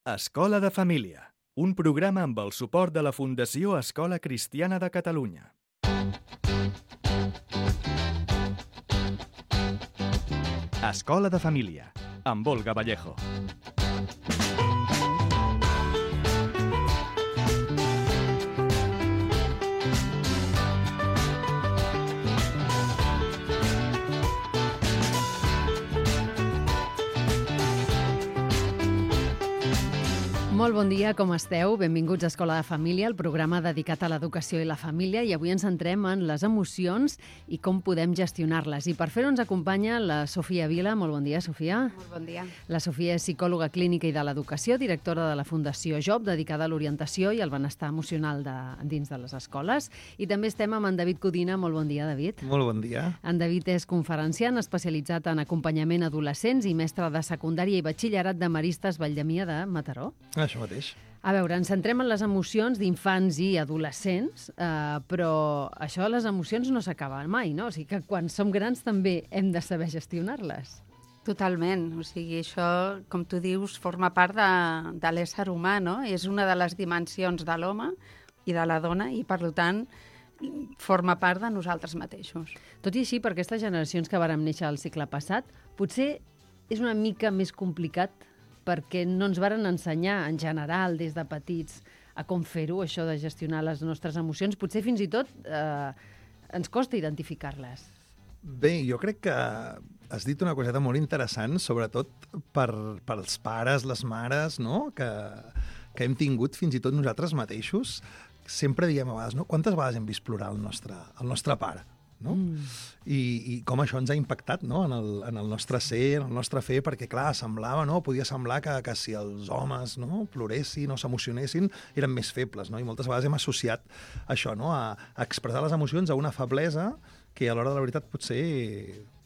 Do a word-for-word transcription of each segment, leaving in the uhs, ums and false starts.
Escola de Família, un programa amb el suport de la Fundació Escola Cristiana de Catalunya. Escola de Família, amb Olga Vallejo. Molt bon dia, com esteu? Benvinguts a Escola de Família, el programa dedicat a l'educació i la família, i avui ens centrem en les emocions i com podem gestionar-les. I per fer-ho ens acompanya la Sofia Vila. Molt bon dia, Sofia. Molt bon dia. La Sofia és psicòloga clínica i de l'educació, directora de la Fundació Job, dedicada a l'orientació i al benestar emocional de, dins de les escoles. I també estem amb en David Codina. Molt bon dia, David. Molt bon dia. En David és conferenciant, especialitzat en acompanyament a adolescents i mestre de secundària i batxillerat de Maristes Valldemia de Mataró. Això mateix. A veure, ens centrem en les emocions d'infants i adolescents, eh, però això de les emocions no s'acaba mai, no? O sigui que quan som grans també hem de saber gestionar-les. Totalment. O sigui, això, com tu dius, forma part de, de l'ésser humà, no? És una de les dimensions de l'home i de la dona i, per tant, forma part de nosaltres mateixos. Tot i així, per aquestes generacions que vàrem néixer al segle passat, potser és una mica més complicat perquè no ens varen ensenyar, en general, des de petits, a com fer-ho, això de gestionar les nostres emocions. Potser fins i tot eh, ens costa identificar-les. Bé, jo crec que has dit una coseta molt interessant, sobretot per, pels pares, les mares, no? que, que hem tingut fins i tot nosaltres mateixos. Sempre diem a vegades, no? Quantes vegades hem vist plorar el nostre, el nostre pare? No? Mm. I, i com això ens ha impactat, no? en, el, en el nostre ser, en el nostre fer, perquè clar, semblava, no? Podia semblar que, que si els homes no? ploressin o s'emocionessin eren més febles, no? I moltes vegades hem associat això, no? a, a expressar les emocions a una feblesa que a l'hora de la veritat potser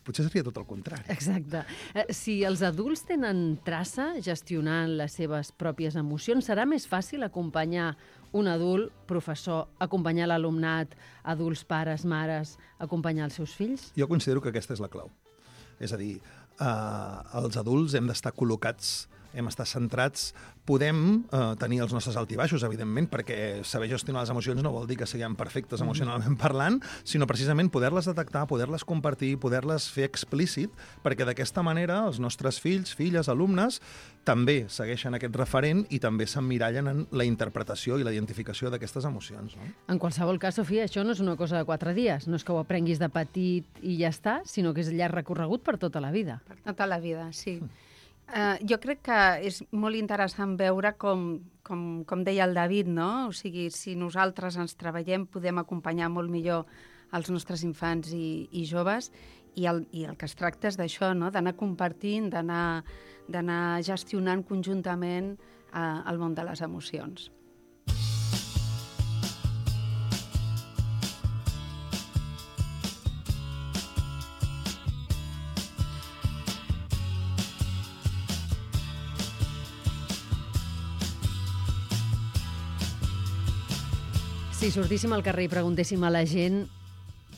potser seria tot el contrari. Exacte. Eh, si els adults tenen traça gestionant les seves pròpies emocions, serà més fàcil acompanyar un adult, professor, acompanyar l'alumnat, adults, pares, mares, acompanyar els seus fills? Jo considero que aquesta és la clau. És a dir, eh, els adults hem d'estar col·locats, hem d'estar centrats, podem eh, tenir els nostres altibaixos, evidentment, perquè saber gestionar les emocions no vol dir que siguem perfectes emocionalment parlant, sinó precisament poder-les detectar, poder-les compartir, poder-les fer explícit, perquè d'aquesta manera els nostres fills, filles, alumnes, també segueixen aquest referent i també s'emmirallen en la interpretació i la identificació d'aquestes emocions. No? En qualsevol cas, Sofia, això no és una cosa de quatre dies, no és que ho aprenguis de petit i ja està, sinó que és llarg recorregut per tota la vida. Per tota la vida, sí. Uh, jo crec que és molt interessant veure com, com, com deia el David, no? O sigui, si nosaltres ens treballem podem acompanyar molt millor els nostres infants i, i joves i el, i el que es tracta és d'això, no? D'anar compartint, d'anar d'anar gestionant conjuntament uh, el món de les emocions. Si sortíssim al carrer i preguntéssim a la gent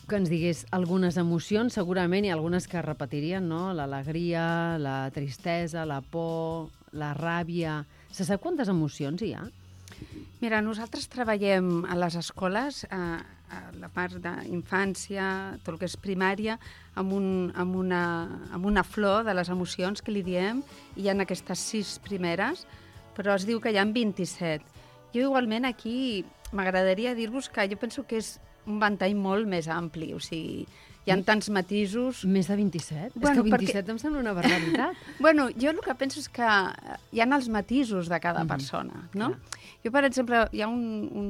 que ens digués algunes emocions, segurament hi ha algunes que repetirien, no? L'alegria, la tristesa, la por, la ràbia. Se sap quantes emocions hi ha? Mira, nosaltres treballem a les escoles, a, a la part d'infància, tot el que és primària, amb, un, amb, una, amb una flor de les emocions que li diem, i hi ha aquestes sis primeres, però es diu que hi ha vint-i-set. Jo igualment aquí m'agradaria dir-vos que jo penso que és un ventall molt més ampli, o sigui, hi ha tants matisos. Més de vint-i-set? Bueno, és que vint-i-set perquè... em sembla una barbaritat. Bueno, jo el que penso és que hi ha els matisos de cada mm-hmm. persona, no? Clar. Jo, per exemple, hi ha un, un,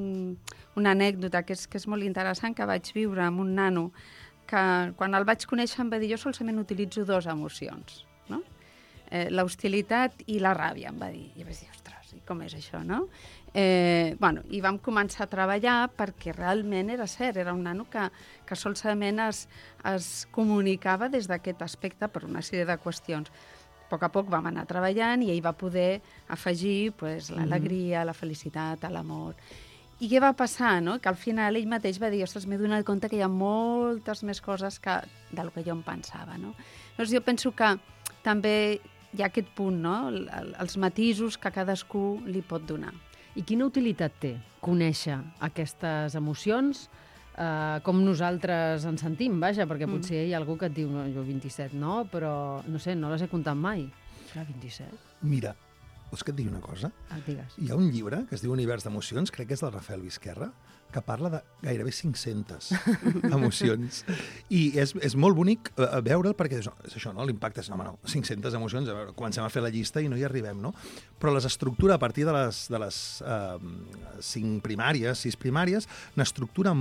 una anècdota que és, que és molt interessant que vaig viure amb un nano que quan el vaig conèixer em va dir jo solament utilitzo dues emocions, no? Eh, l'hostilitat i la ràbia, em va dir. I vaig dir, ostres, com és això, no? Eh, bueno, i vam començar a treballar perquè realment era cert, era un nano que, que solament es, es comunicava des d'aquest aspecte per una sèrie de qüestions. A poc a poc vam anar treballant i ell va poder afegir pues, l'alegria, la felicitat, l'amor. I què va passar? No? Que al final ell mateix va dir, ostres, m'he donat compte que hi ha moltes més coses que, del que jo em pensava. No? Llavors jo penso que també hi ha aquest punt, no? El, el, els matisos que cadascú li pot donar. I quina utilitat té conèixer aquestes emocions, eh, com nosaltres ens sentim, vaja, perquè potser hi ha algú que et diu, no, jo vint-i-set no, però no sé, no les he comptat mai. Clar, vint-i-set? Mira, vols que et digui una cosa? Ah, digues. Hi ha un llibre que es diu Univers d'emocions, crec que és del Rafael Vizquerra, que parla de gairebé cinc-centes emocions. I és, és molt bonic uh, veure'l perquè és, és això, no? L'impacte és, no, no, cinc-centes emocions, a veure, comencem a fer la llista i no hi arribem, no? Però les estructura a partir de les, de les uh, cinc primàries, sis primàries, n'estructura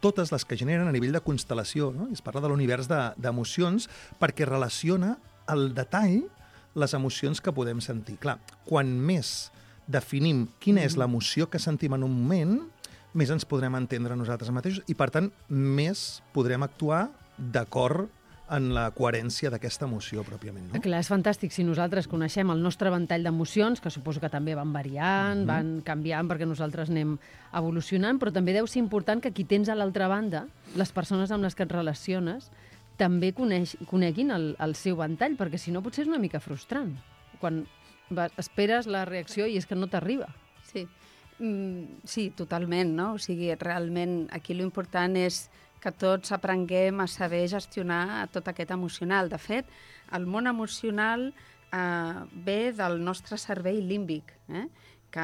totes les que generen a nivell de constel·lació, no? I es parla de l'univers d'emocions de, perquè relaciona al detall les emocions que podem sentir. Clar, quan més definim quina és l'emoció que sentim en un moment, més ens podrem entendre nosaltres mateixos i, per tant, més podrem actuar d'acord en la coherència d'aquesta emoció, pròpiament. No? Clar, és fantàstic si nosaltres coneixem el nostre ventall d'emocions, que suposo que també van variant, mm-hmm. van canviant perquè nosaltres anem evolucionant, però també deu ser important que qui tens a l'altra banda, les persones amb les que et relaciones, també coneix, coneguin el, el seu ventall, perquè si no potser és una mica frustrant. Quan vas, esperes la reacció i és que no t'arriba. Sí. Mm, sí, totalment, no? O sigui, realment aquí l'important és que tots aprenguem a saber gestionar tot aquest emocional. De fet, el món emocional eh, ve del nostre cervell límbic, eh? que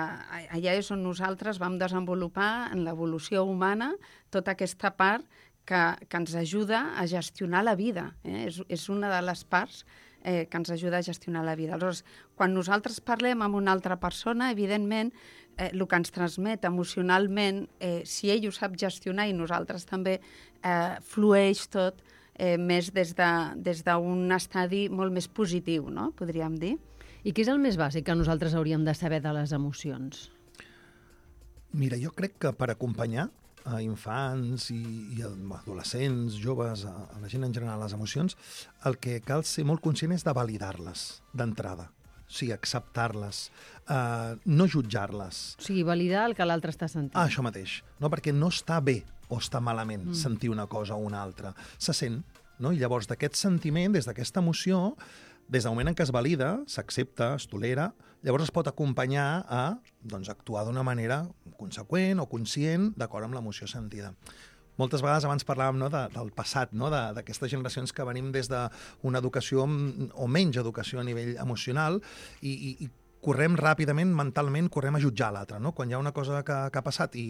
allà és on nosaltres vam desenvolupar en l'evolució humana tota aquesta part que, que ens ajuda a gestionar la vida. Eh? És, és una de les parts eh, que ens ajuda a gestionar la vida. Aleshores, quan nosaltres parlem amb una altra persona, evidentment, eh, el que ens transmet emocionalment, eh, si ell ho sap gestionar i nosaltres també, eh, flueix tot eh, més des d'un de, des d'un estadi molt més positiu, no? Podríem dir. I què és el més bàsic que nosaltres hauríem de saber de les emocions? Mira, jo crec que per acompanyar a infants i, i adolescents, joves, a, a la gent en general, les emocions, el que cal ser molt conscient és de validar-les d'entrada. O sigui, acceptar-les, uh, no jutjar-les. O sigui, validar el que l'altre està sentint. Ah, això mateix. No, perquè no està bé o està malament mm. sentir una cosa o una altra. Se sent, no? I llavors d'aquest sentiment, des d'aquesta emoció, des del moment en què es valida, s'accepta, es tolera, llavors es pot acompanyar a doncs, actuar d'una manera conseqüent o conscient d'acord amb l'emoció sentida. Moltes vegades abans parlàvem no, de, del passat, no, d'aquestes generacions que venim des d'una educació o menys educació a nivell emocional i, i, i correm ràpidament, mentalment, correm a jutjar l'altre. No? Quan hi ha una cosa que, que ha passat i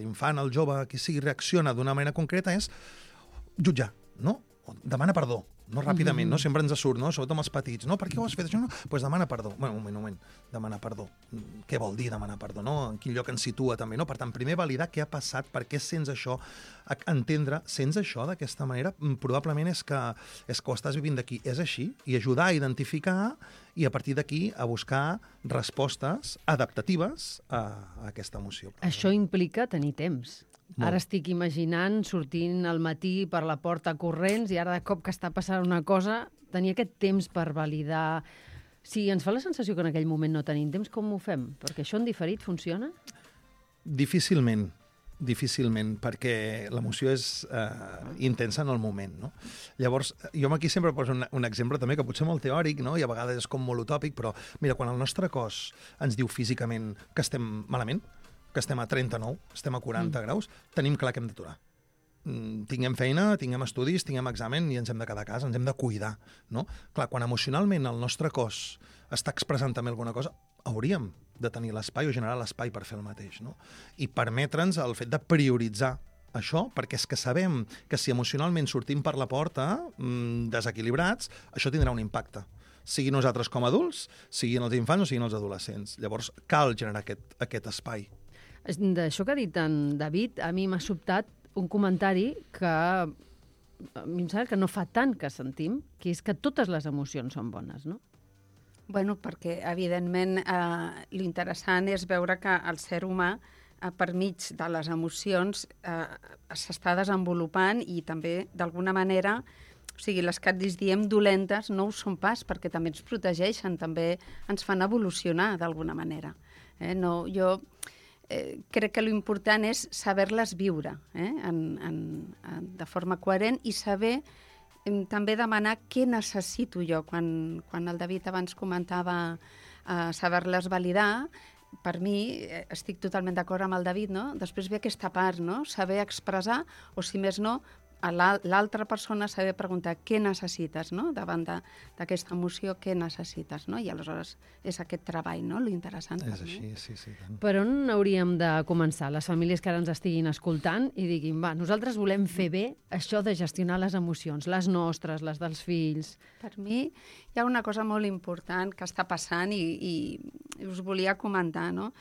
l'infant, el jove, qui sigui, reacciona d'una manera concreta és jutjar, no? Demana perdó, no ràpidament, no? Sempre ens surt, no? Sobretot amb els petits, no? Per què ho has fet això? No? Doncs pues demana perdó. Bueno, un moment, un moment, demanar perdó. Què vol dir demanar perdó, no? En quin lloc ens situa també, no? Per tant, primer validar què ha passat, per què sents això, entendre, sents això d'aquesta manera, probablement és que, és que ho estàs vivint d'aquí, és així, i ajudar a identificar i a partir d'aquí a buscar respostes adaptatives a, a aquesta emoció. Això implica tenir temps. Molt. Ara estic imaginant sortint al matí per la porta corrents i ara de cop que està passant una cosa, tenir aquest temps per validar. Si ens fa la sensació que en aquell moment no tenim temps, com ho fem? Perquè això en diferit funciona? Difícilment, difícilment, perquè l'emoció és eh, intensa en el moment, no? Llavors, jo aquí sempre poso un, un exemple també que potser molt teòric, no? I a vegades és com molt utòpic, però mira, quan el nostre cos ens diu físicament que estem malament, que estem a trenta-nou, estem a quaranta mm. graus, tenim clar que hem d'aturar. Mm, tinguem feina, tinguem estudis, tinguem examen i ens hem de quedar a casa, ens hem de cuidar, no? Clar, quan emocionalment el nostre cos està expressant també alguna cosa, hauríem de tenir l'espai o generar l'espai per fer el mateix, no? I permetre'ns el fet de prioritzar això, perquè és que sabem que si emocionalment sortim per la porta mmm, desequilibrats, això tindrà un impacte. Sigui nosaltres com a adults, siguin els infants o siguin els adolescents. Llavors, cal generar aquest, aquest espai. D'això que ha dit en David, a mi m'ha sobtat un comentari que a mi em sembla que no fa tant que sentim, que és que totes les emocions són bones, no? Bueno, perquè, evidentment, eh, l'interessant és veure que el ser humà, eh, per mig de les emocions, eh, s'està desenvolupant i també, d'alguna manera, o sigui, les que ens diem dolentes no ho són pas, perquè també ens protegeixen, també ens fan evolucionar d'alguna manera. Eh? No, jo eh, crec que l'important és saber-les viure eh? en, en, en, de forma coherent i saber també demanar què necessito jo. Quan, quan el David abans comentava uh, saber-les validar, per mi, estic totalment d'acord amb el David, no? Després ve aquesta part, no? Saber expressar, o si més no, a l'altra persona saber preguntar què necessites, no? Davant d'aquesta emoció, què necessites, no? I aleshores és aquest treball, no? Lo interessant. És així, sí, sí. Tant. Per on hauríem de començar? Les famílies que ara ens estiguin escoltant i diguin, va, nosaltres volem fer bé això de gestionar les emocions, les nostres, les dels fills. Per mi hi ha una cosa molt important que està passant i, i us volia comentar, no?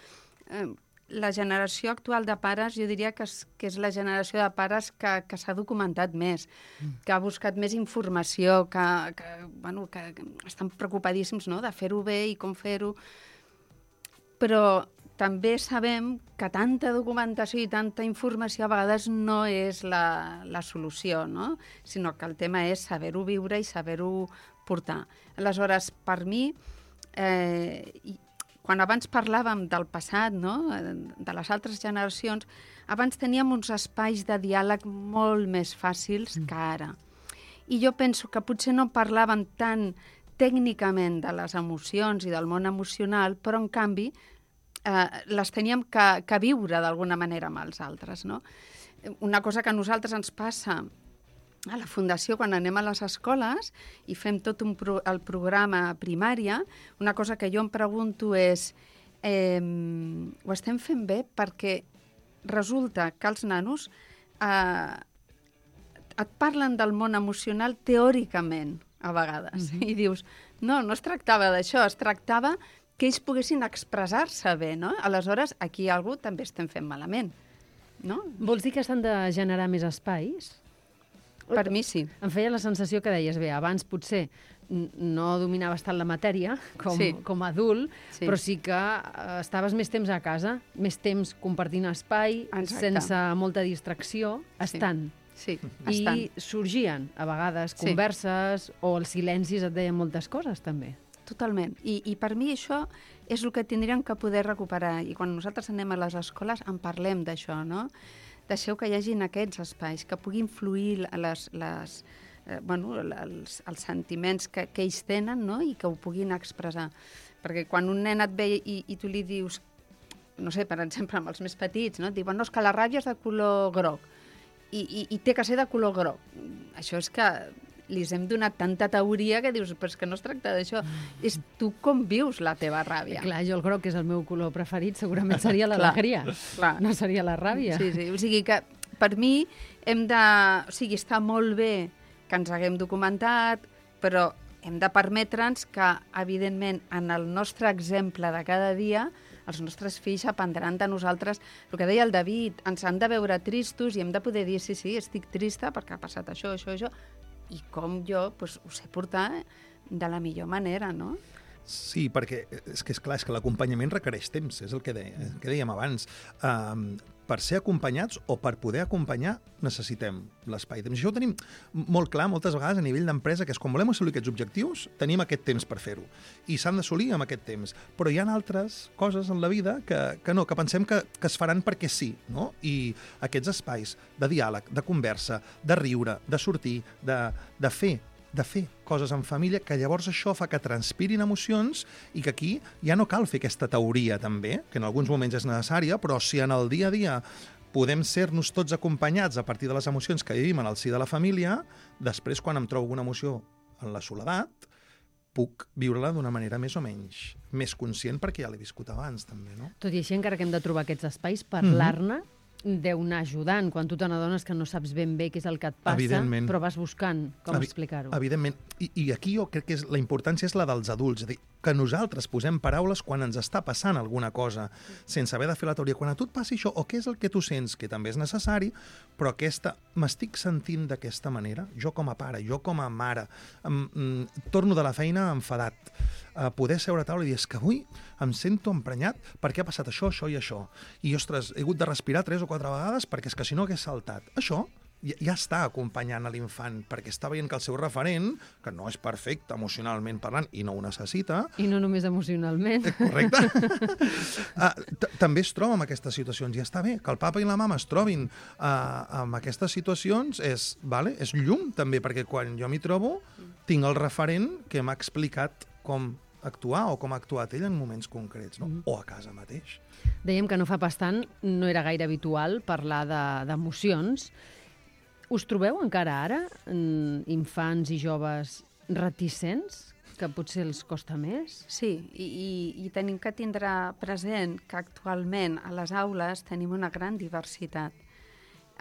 Eh, La generació actual de pares, jo diria que és, que és la generació de pares que, que s'ha documentat més, mm. que ha buscat més informació, que, que, bueno, que, que estan preocupadíssims, no?, de fer-ho bé i com fer-ho. Però també sabem que tanta documentació i tanta informació a vegades no és la, la solució, no?, sinó que el tema és saber-ho viure i saber-ho portar. Aleshores, per mi, eh, quan abans parlàvem del passat, no?, de les altres generacions, abans teníem uns espais de diàleg molt més fàcils mm. que ara. I jo penso que potser no parlàvem tan tècnicament de les emocions i del món emocional, però en canvi eh, les teníem que, que viure d'alguna manera amb els altres, no? Una cosa que a nosaltres ens passa a la Fundació, quan anem a les escoles i fem tot un pro el programa primària, una cosa que jo em pregunto és eh, ho estem fent bé? Perquè resulta que els nanos eh, et parlen del món emocional teòricament, a vegades, mm-hmm. i dius, no, no es tractava d'això, es tractava que ells poguessin expressar-se bé, no? Aleshores, aquí algú també estem fent malament, no? Vols dir que s'han de generar més espais? Per mi sí. Em feia la sensació que deies, bé, abans potser no dominaves tant la matèria com, sí. com a adult, sí. però sí que uh, estaves més temps a casa, més temps compartint espai, Exacte. sense molta distracció, estant. Sí, sí. I estant. sorgien, a vegades, Sí. converses o els silencis et deien moltes coses, també. Totalment. I, I per mi això és el que tindríem que poder recuperar. I quan nosaltres anem a les escoles en parlem d'això, no? Deixeu que hi hagin aquests espais, que puguin fluir les, les, eh, bueno, els, els sentiments que, que ells tenen, no?, i que ho puguin expressar. Perquè quan un nen et ve i, i tu li dius, no sé, per exemple, amb els més petits, no?, et diuen, no, és que la ràbia és de color groc i, i, i té que ser de color groc. Això és que li hem donat tanta teoria que dius, però és que no es tracta d'això. És tu com vius la teva ràbia. Clar, jo el groc és el meu color preferit, segurament seria l'alegria, no seria la ràbia. Sí, sí, o sigui que per mi hem de... O sigui, està molt bé que ens haguem documentat, però hem de permetre'ns que, evidentment, en el nostre exemple de cada dia, els nostres fills aprendran de nosaltres. El que deia el David, ens han de veure tristos i hem de poder dir, sí, sí, estic trista perquè ha passat això, això, això, i com jo pues, ho sé portar de la millor manera, no? Sí, perquè és que és clar, és que l'acompanyament requereix temps, és el que, deia, el que dèiem abans. Um, per ser acompanyats o per poder acompanyar necessitem l'espai. Això ho tenim molt clar moltes vegades a nivell d'empresa, que és quan volem assolir aquests objectius, tenim aquest temps per fer-ho. I s'han d'assolir amb aquest temps. Però hi ha altres coses en la vida que, que no, que pensem que, que es faran perquè sí, no? I aquests espais de diàleg, de conversa, de riure, de sortir, de, de fer, de fer coses en família, que llavors això fa que transpirin emocions i que aquí ja no cal fer aquesta teoria també, que en alguns moments és necessària, però si en el dia a dia podem ser-nos tots acompanyats a partir de les emocions que vivim en el si de la família, després quan em trobo una emoció en la soledat, puc viure-la d'una manera més o menys més conscient perquè ja l'he viscut abans també, no? Tot i així, encara que hem de trobar aquests espais, parlar-ne mm-hmm. deu anar ajudant quan tu te n'adones que no saps ben bé què és el que et passa, però vas buscant com Evi explicar-ho. Evidentment. I, I aquí jo crec que és, la importància és la dels adults. És a dir, que nosaltres posem paraules quan ens està passant alguna cosa, sense haver de fer la teoria. Quan a tu et passi això, o què és el que tu sents, que també és necessari, però aquesta, m'estic sentint d'aquesta manera, jo com a pare, jo com a mare, em, em, torno de la feina enfadat, a poder seure a taula i dir, és que avui em sento emprenyat perquè ha passat això, això i això. I, ostres, he hagut de respirar tres o quatre vegades perquè és que si no hagués saltat. Això ja, ja està acompanyant a l'infant, perquè està veient que el seu referent, que no és perfecte emocionalment parlant i no ho necessita... I no només emocionalment. Correcte. uh, també es troba en aquestes situacions i està bé. Que el papa i la mama es trobin uh, en aquestes situacions és, vale, és llum també, perquè quan jo m'hi trobo tinc el referent que m'ha explicat com actuar o com ha actuat ell en moments concrets, no? Mm. O a casa mateix. Dèiem que no fa pas tant, no era gaire habitual parlar d'emocions. Us trobeu encara ara, infants i joves reticents, que potser els costa més? Sí, i, i, i tenim que tindre present que actualment a les aules tenim una gran diversitat.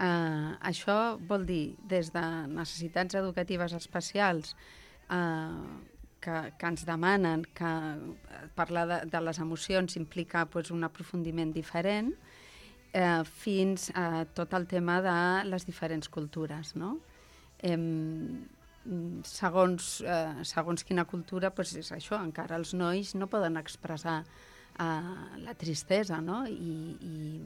Uh, això vol dir des de necessitats educatives especials uh, que, que ens demanen que parlar de, de les emocions implica pues, un aprofundiment diferent, eh, fins a tot el tema de les diferents cultures, no? Eh, segons, eh, segons quina cultura, pues, és això, encara els nois no poden expressar eh, la tristesa, no? I, i,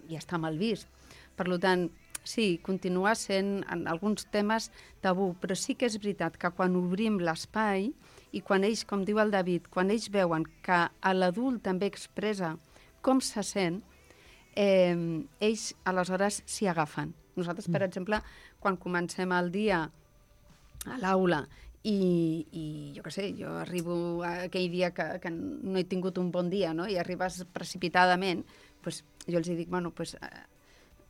i està mal vist. Per tant, sí, continua sent en alguns temes tabú, però sí que és veritat que quan obrim l'espai i quan ells, com diu el David, quan ells veuen que l'adult també expressa com se sent, eh, ells aleshores s'hi agafen. Nosaltres, per exemple, quan comencem el dia a l'aula i, i jo què sé, jo arribo aquell dia que, que no he tingut un bon dia, no? I arribes precipitadament, pues, jo els dic, bueno, pues,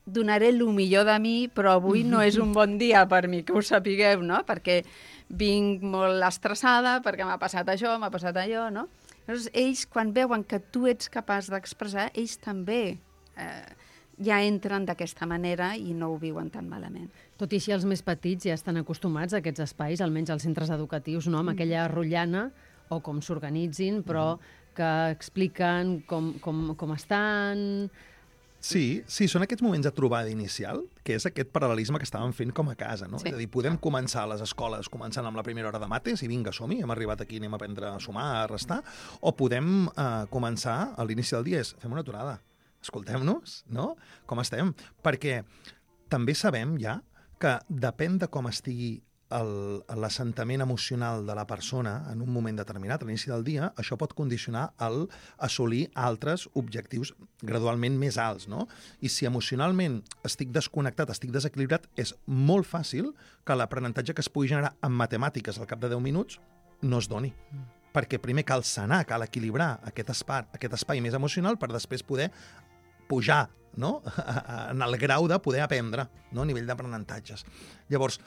donaré el millor de mi, però avui no és un bon dia per mi, que ho sapigueu, no? Perquè vinc molt estressada, perquè m'ha passat això, m'ha passat allò, no? Llavors, ells, quan veuen que tu ets capaç d'expressar, ells també eh, ja entren d'aquesta manera i no ho viuen tan malament. Tot i així, els més petits ja estan acostumats a aquests espais, almenys als centres educatius, no? Amb aquella rotllana, o com s'organitzin, però que expliquen com, com, com estan... Sí, sí, són aquests moments de trobada inicial, que és aquest paral·lelisme que estàvem fent com a casa, no? Sí. És a dir, podem començar a les escoles començant amb la primera hora de mates i vinga, som-hi, hem arribat aquí, anem a aprendre a sumar, a restar, o podem eh, començar a l'inici del dia, és fem una aturada, escoltem-nos, no? Com estem? Perquè també sabem ja que depèn de com estigui l'assentament emocional de la persona en un moment determinat, a l'inici del dia, això pot condicionar el assolir altres objectius gradualment més alts, no? I si emocionalment estic desconnectat, estic desequilibrat, és molt fàcil que l'aprenentatge que es pugui generar en matemàtiques al cap de deu minuts no es doni. Mm. Perquè primer cal sanar, cal equilibrar aquest espai, aquest espai més emocional per després poder pujar, no? En el grau de poder aprendre, no? A nivell d'aprenentatges. Llavors,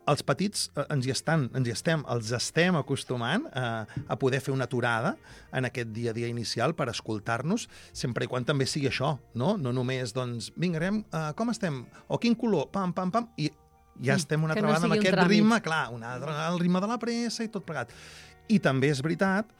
els petits eh, ens hi estan, ens hi estem, els estem acostumant eh, a poder fer una aturada en aquest dia a dia inicial per escoltar-nos, sempre i quan també sigui això, no? No només, doncs, vinga, anem, eh, com estem? O quin color? Pam, pam, pam, i ja estem una altra vegada no amb aquest ritme, clar, una altra, el ritme de la pressa i tot plegat. I també és veritat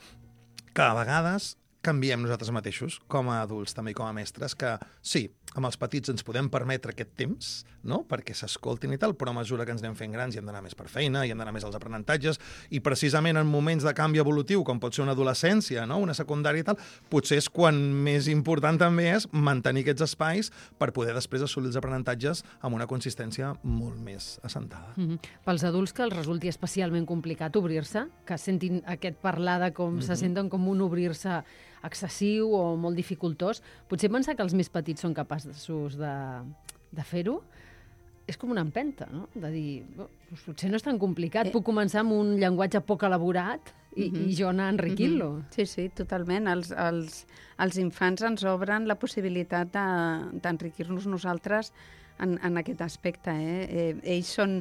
que a vegades canviem nosaltres mateixos, com a adults, també com a mestres, que sí, amb els petits ens podem permetre aquest temps, no?, perquè s'escoltin i tal, però a mesura que ens anem fent grans i hem d'anar més per feina, i hem d'anar més als aprenentatges, i precisament en moments de canvi evolutiu, com pot ser una adolescència, no?, una secundària i tal, potser és quan més important també és mantenir aquests espais per poder després assolir els aprenentatges amb una consistència molt més assentada. Mm-hmm. Pels adults que els resulti especialment complicat obrir-se, que sentin aquest parlar de com mm-hmm. se senten com un obrir-se excessiu o molt dificultós, potser pensar que els més petits són capaços de, de fer-ho és com una empenta, no? De dir, oh, doncs potser no és tan complicat, eh. puc començar amb un llenguatge poc elaborat i, mm-hmm. i jo anar enriquint-lo. Mm-hmm. Sí, sí, totalment. Els, els, els infants ens obren la possibilitat d'enriquir-nos nosaltres en, en aquest aspecte. Eh? Eh, ells són,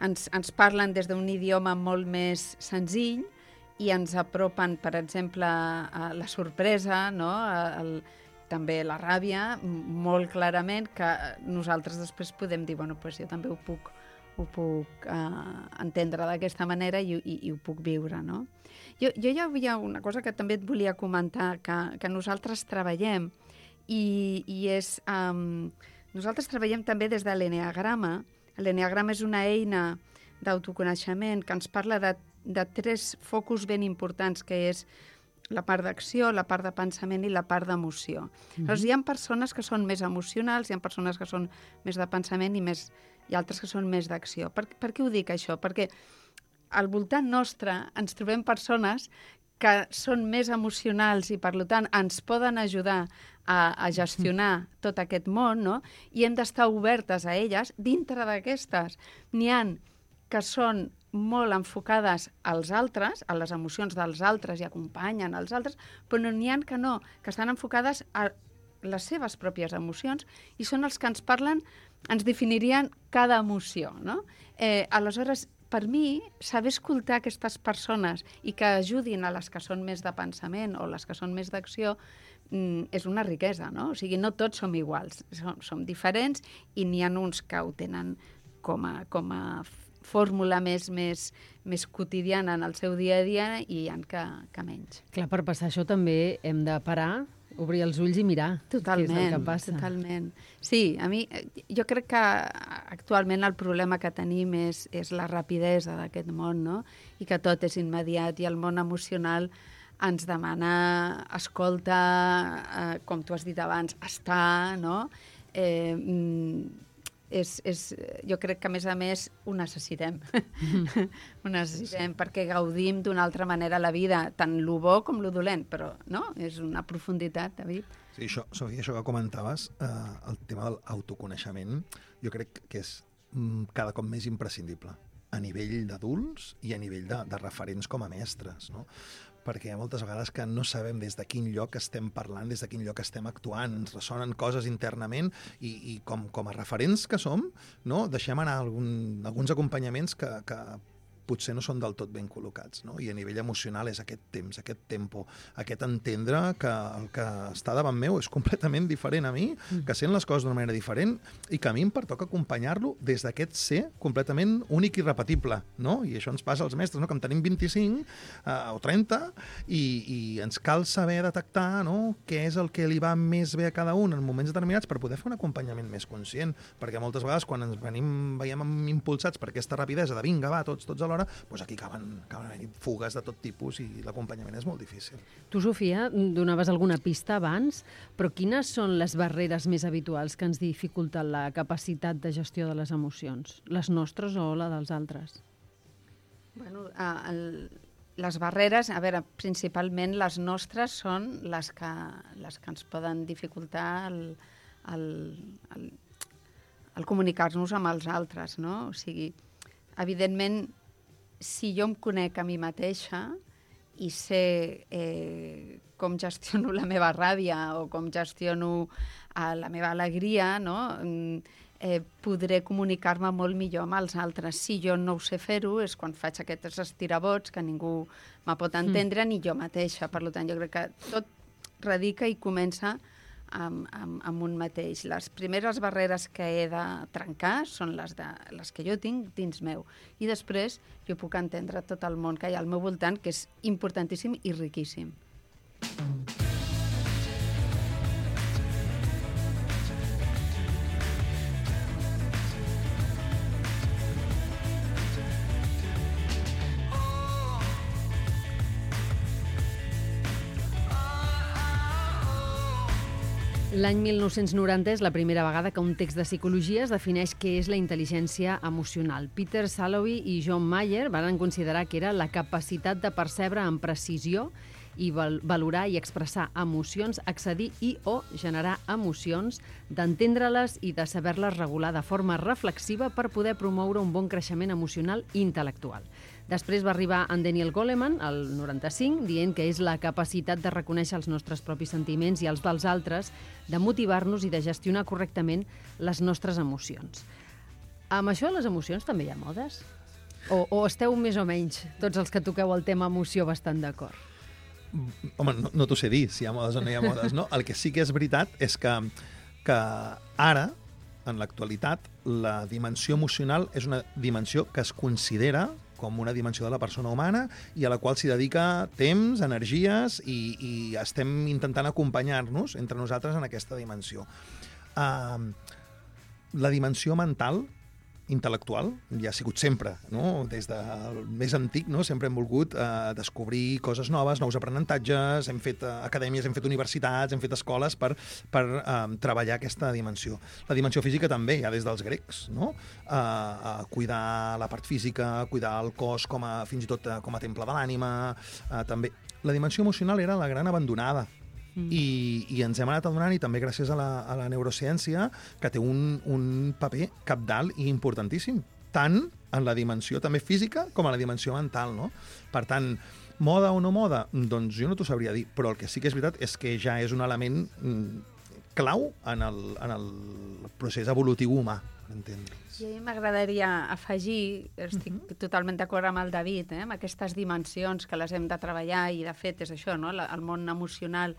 ens, ens parlen des d'un idioma molt més senzill i ens apropen, per exemple, a la sorpresa, no? El, també la ràbia, molt clarament, que nosaltres després podem dir, bueno, pues jo també ho puc, ho puc uh, entendre d'aquesta manera i, i, i ho puc viure, no? Jo, jo hi havia una cosa que també et volia comentar, que, que nosaltres treballem, i, i és... Um, nosaltres treballem també des de l'Enneagrama. L'Enneagrama és una eina d'autoconeixement que ens parla de de tres focus ben importants, que és la part d'acció, la part de pensament i la part d'emoció. Mm-hmm. Llavors, hi ha persones que són més emocionals, hi ha persones que són més de pensament i, més, i altres que són més d'acció. Per, per què ho dic, això? Perquè al voltant nostre ens trobem persones que són més emocionals i, per tant, ens poden ajudar a, a gestionar tot aquest món, no? I hem d'estar obertes a elles. Dintre d'aquestes n'hi ha que són molt enfocades als altres, a les emocions dels altres i acompanyen els altres, però n'hi ha que no, que estan enfocades a les seves pròpies emocions i són els que ens parlen, ens definirien cada emoció, no? Eh, aleshores, per mi, saber escoltar aquestes persones i que ajudin a les que són més de pensament o les que són més d'acció mm, és una riquesa, no? O sigui, no tots som iguals, som, som diferents i n'hi ha uns que ho tenen com a, com a fórmula més, més, més quotidiana en el seu dia a dia i hi ha que, que menys. Clar, per passar això també hem de parar, obrir els ulls i mirar totalment, què és el que passa. Totalment. Sí, a mi, jo crec que actualment el problema que tenim és, és la rapidesa d'aquest món, no? I que tot és immediat i el món emocional ens demana escolta, eh, com tu has dit abans, estar, no? Eh, mm, És, és, jo crec que, a més a més, ho necessitem. Mm. ho necessitem perquè gaudim d'una altra manera la vida, tant lo bo com lo dolent, però no? És una profunditat, David. Sí, això, Sofia, això que comentaves, eh, el tema de l'autoconeixement, jo crec que és mm, cada cop més imprescindible a nivell d'adults i a nivell de, de referents com a mestres, no? Perquè hi ha moltes vegades que no sabem des de quin lloc estem parlant, des de quin lloc estem actuant, ens ressonen coses internament i, i com, com a referents que som, no? Deixem anar algun, alguns acompanyaments que, que potser no són del tot ben col·locats, no? I a nivell emocional és aquest temps, aquest tempo, aquest entendre que el que està davant meu és completament diferent a mi, que sent les coses d'una manera diferent i que a mi em pertoca acompanyar-lo des d'aquest ser completament únic i repetible, no? I això ens passa als mestres, no? Que en tenim vint-i-cinc eh, o trenta i, i ens cal saber detectar, no? Què és el que li va més bé a cada un en moments determinats per poder fer un acompanyament més conscient, perquè moltes vegades quan ens venim, veiem impulsats per aquesta rapidesa de vinga, va, tots, tots alhora, doncs aquí acaben, acaben havent fugues de tot tipus i l'acompanyament és molt difícil. Tu, Sofia, donaves alguna pista abans, però quines són les barreres més habituals que ens dificulten la capacitat de gestió de les emocions? Les nostres o la dels altres? Bueno, el, les barreres, a veure, principalment les nostres són les que, les que ens poden dificultar el, el, el, el comunicar-nos amb els altres, no? O sigui, evidentment, si jo em conec a mi mateixa i sé eh, com gestiono la meva ràbia o com gestiono eh, la meva alegria, no? eh, podré comunicar-me molt millor amb els altres. Si jo no ho sé fer-ho, és quan faig aquests estirabots que ningú me pot entendre, mm. ni jo mateixa. Per tant, jo crec que tot radica i comença amb, amb, amb un mateix. Les primeres barreres que he de trencar són les, de, les que jo tinc dins meu. I després jo puc entendre tot el món que hi ha al meu voltant, que és importantíssim i riquíssim. L'any mil nou-cents noranta és la primera vegada que un text de psicologia es defineix què és la intel·ligència emocional. Peter Salovey i John Mayer van considerar que era la capacitat de percebre amb precisió i val- valorar i expressar emocions, accedir i o generar emocions, d'entendre-les i de saber-les regular de forma reflexiva per poder promoure un bon creixement emocional i intel·lectual. Després va arribar en Daniel Goleman, el noranta-cinc, dient que és la capacitat de reconèixer els nostres propis sentiments i els dels altres, de motivar-nos i de gestionar correctament les nostres emocions. Amb això les emocions també hi ha modes? O, o esteu més o menys, tots els que toqueu el tema emoció, bastant d'acord? Home, no, no t'ho sé dir si hi ha modes o no hi ha modes, no? El que sí que és veritat és que, que ara, en l'actualitat, la dimensió emocional és una dimensió que es considera com una dimensió de la persona humana i a la qual s'hi dedica temps, energies i, i estem intentant acompanyar-nos entre nosaltres en aquesta dimensió. Uh, la dimensió mental intel·lectual, ja ha sigut sempre, no? Des del més antic, no? Sempre hem volgut eh, descobrir coses noves, nous aprenentatges, hem fet eh, acadèmies, hem fet universitats, hem fet escoles per, per eh, treballar aquesta dimensió. La dimensió física també, ja des dels grecs, no? Eh, eh, cuidar la part física, cuidar el cos com a, fins i tot eh, com a temple de l'ànima, eh, també. La dimensió emocional era la gran abandonada. Mm. I, i ens hem anat adonant, i també gràcies a la, a la neurociència, que té un, un paper cabdal i importantíssim, tant en la dimensió també física com en la dimensió mental, no? Per tant, moda o no moda? Doncs jo no t'ho sabria dir, però el que sí que és veritat és que ja és un element mm, clau en el, en el procés evolutiu humà, entendre. I a mi m'agradaria afegir, estic uh -huh. totalment d'acord amb el David, eh, amb aquestes dimensions que les hem de treballar, i de fet és això, no? El món emocional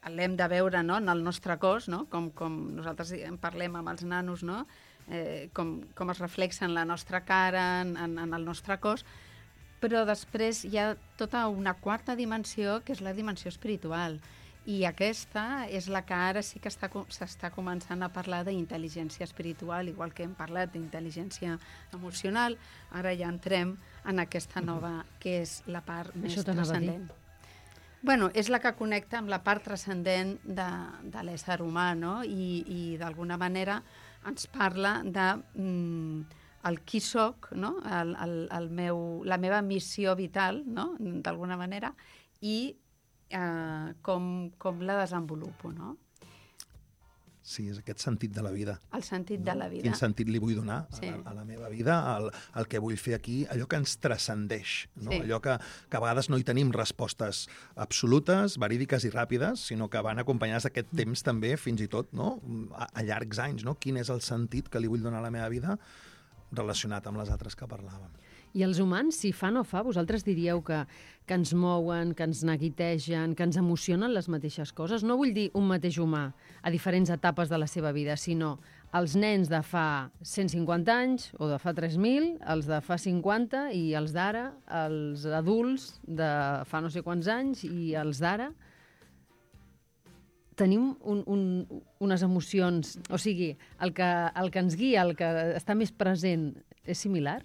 l'hem de veure, no? En el nostre cos, no? Com, com nosaltres en parlem amb els nanos, no? Eh, com, com es reflexa en la nostra cara, en, en el nostre cos, però després hi ha tota una quarta dimensió, que és la dimensió espiritual. I aquesta és la que ara sí que s'està començant a parlar d'intel·ligència espiritual, igual que hem parlat d'intel·ligència emocional, ara ja entrem en aquesta nova, que és la part més transcendent. Bueno, és la que connecta amb la part transcendent de, de l'ésser humà, no? I, i d'alguna manera ens parla de mm, el qui soc, no? el, el, el meu, la meva missió vital, no? D'alguna manera, i eh, com, com la desenvolupo, no? Sí, és aquest sentit de la vida. El sentit no? de la vida. Quin sentit li vull donar sí. a, a la meva vida, el, el que vull fer aquí, allò que ens transcendeix, no? Sí. Allò que, que a vegades no hi tenim respostes absolutes, verídiques i ràpides, sinó que van acompanyades d'aquest mm. temps també, fins i tot, no? a, a llargs anys. No? Quin és el sentit que li vull donar a la meva vida relacionat amb les altres que parlàvem. I els humans, si fa no fa, vosaltres diríeu que, que ens mouen, que ens neguitegen, que ens emocionen les mateixes coses? No vull dir un mateix humà a diferents etapes de la seva vida, sinó els nens de fa cent cinquanta anys o de fa tres mil, els de fa cinquanta i els d'ara, els adults de fa no sé quants anys i els d'ara. Tenim un, un, unes emocions... O sigui, el que, el que ens guia, el que està més present, és similar?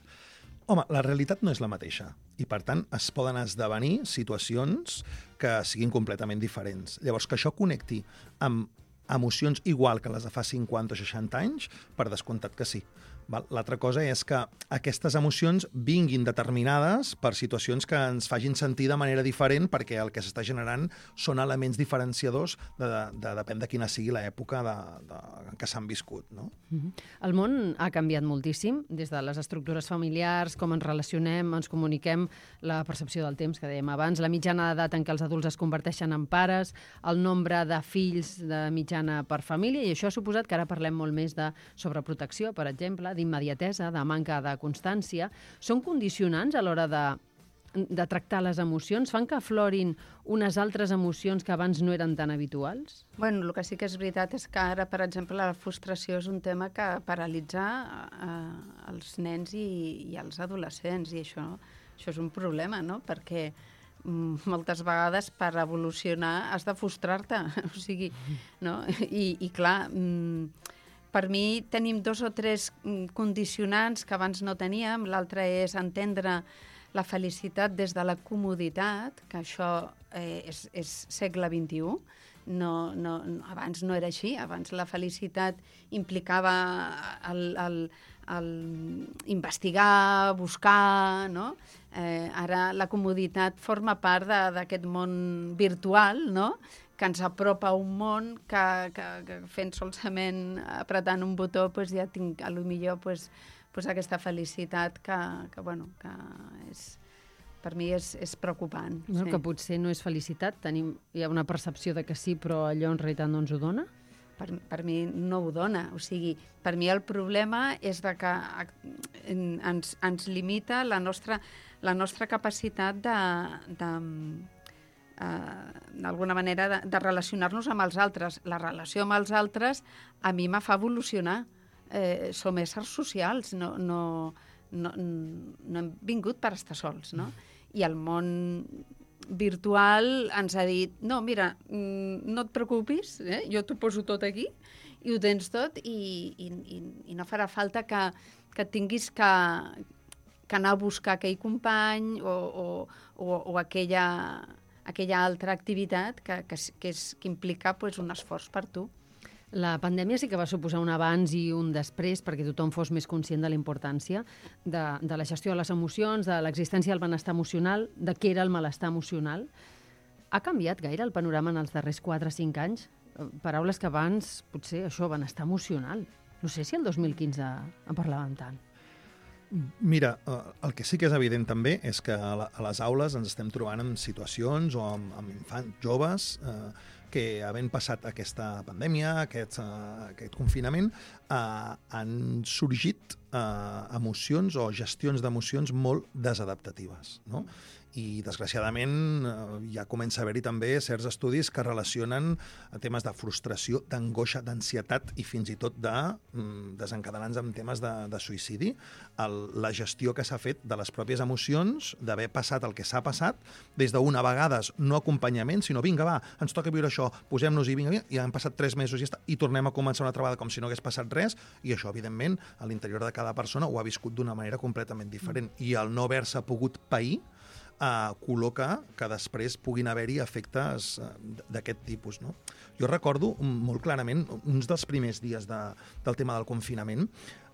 Home, la realitat no és la mateixa i, per tant, es poden esdevenir situacions que siguin completament diferents. Llavors, que això connecti amb emocions igual que les de fa cinquanta o seixanta anys, per descomptat que sí. L'altra cosa és que aquestes emocions vinguin determinades per situacions que ens facin sentir de manera diferent, perquè el que s'està generant són elements diferenciadors de, de, de depèn de quina sigui l'època de, de, que s'han viscut. No? Mm-hmm. El món ha canviat moltíssim, des de les estructures familiars, com ens relacionem, ens comuniquem, la percepció del temps, que dèiem abans, la mitjana d'edat en què els adults es converteixen en pares, el nombre de fills de mitjana per família, i això ha suposat que ara parlem molt més de sobreprotecció, per exemple, d'immediatesa, de manca de constància. Són condicionants a l'hora de, de tractar les emocions? Fan que aflorin unes altres emocions que abans no eren tan habituals? Bueno, el que sí que és veritat és que ara, per exemple, la frustració és un tema que paralitza eh, els nens i, i els adolescents, i això, això és un problema, no? Perquè mm, moltes vegades per evolucionar has de frustrar-te, o sigui, no? I, i clar... Mm, per mi tenim dos o tres condicionants que abans no teníem. L'altre és entendre la felicitat des de la comoditat, que això eh, és, és segle vint-i-u. No, no, abans no era així. Abans la felicitat implicava el, el, el investigar, buscar, no? Eh, ara la comoditat forma part d'aquest món virtual, no? Que ens apropa a un món que, que, que fent solament apretant un botó pues ja tinc a lo millor pues, pues aquesta felicitat que, que, bueno, que és, per mi és, és preocupant. No, sí. Que potser no és felicitat, tenim, hi ha una percepció de que sí, però allò en realitat no ens ho dona? Per, per mi no ho dona. O sigui, per mi el problema és de que ens, ens limita la nostra, la nostra capacitat de... de Uh, d'alguna manera de, de relacionar-nos amb els altres. La relació amb els altres a mi me fa evolucionar. Eh, som éssers socials, no, no, no, no hem vingut per estar sols, no? I el món virtual ens ha dit, no, mira, no et preocupis, eh? Jo t'ho poso tot aquí i ho tens tot i, i, i, i no farà falta que, que tinguis que, que anar a buscar aquell company o, o, o, o aquella, aquella altra activitat que, que, que, és, que implica pues, un esforç per tu. La pandèmia sí que va suposar un abans i un després perquè tothom fos més conscient de la importància de, de la gestió de les emocions, de l'existència del benestar emocional, de què era el malestar emocional. Ha canviat gaire el panorama en els darrers quatre o cinc anys? Paraules que abans, potser, això, benestar emocional. No sé si el dos mil quinze en parlàvem tant. Mira, el que sí que és evident també és que a les aules ens estem trobant en situacions o amb, amb infants joves eh, que, havent passat aquesta pandèmia, aquest, uh, aquest confinament, uh, han sorgit uh, emocions o gestions d'emocions molt desadaptatives, no? I, desgraciadament, ja comença a haver-hi també certs estudis que relacionen temes de frustració, d'angoixa, d'ansietat i fins i tot de mm, desencadenants en temes de, de suïcidi. El, la gestió que s'ha fet de les pròpies emocions, d'haver passat el que s'ha passat, des d'una vegades no acompanyament, sinó vinga, va, ens toca viure això, posem-nos-hi, vinga, vinga, i han passat tres mesos i, està, i tornem a començar una altra vegada com si no hagués passat res, i això, evidentment, a l'interior de cada persona ho ha viscut d'una manera completament diferent. I el no haver-se pogut pair Uh, col·loca que després puguin haver-hi efectes uh, d'aquest tipus, no? Jo recordo molt clarament uns dels primers dies de, del tema del confinament,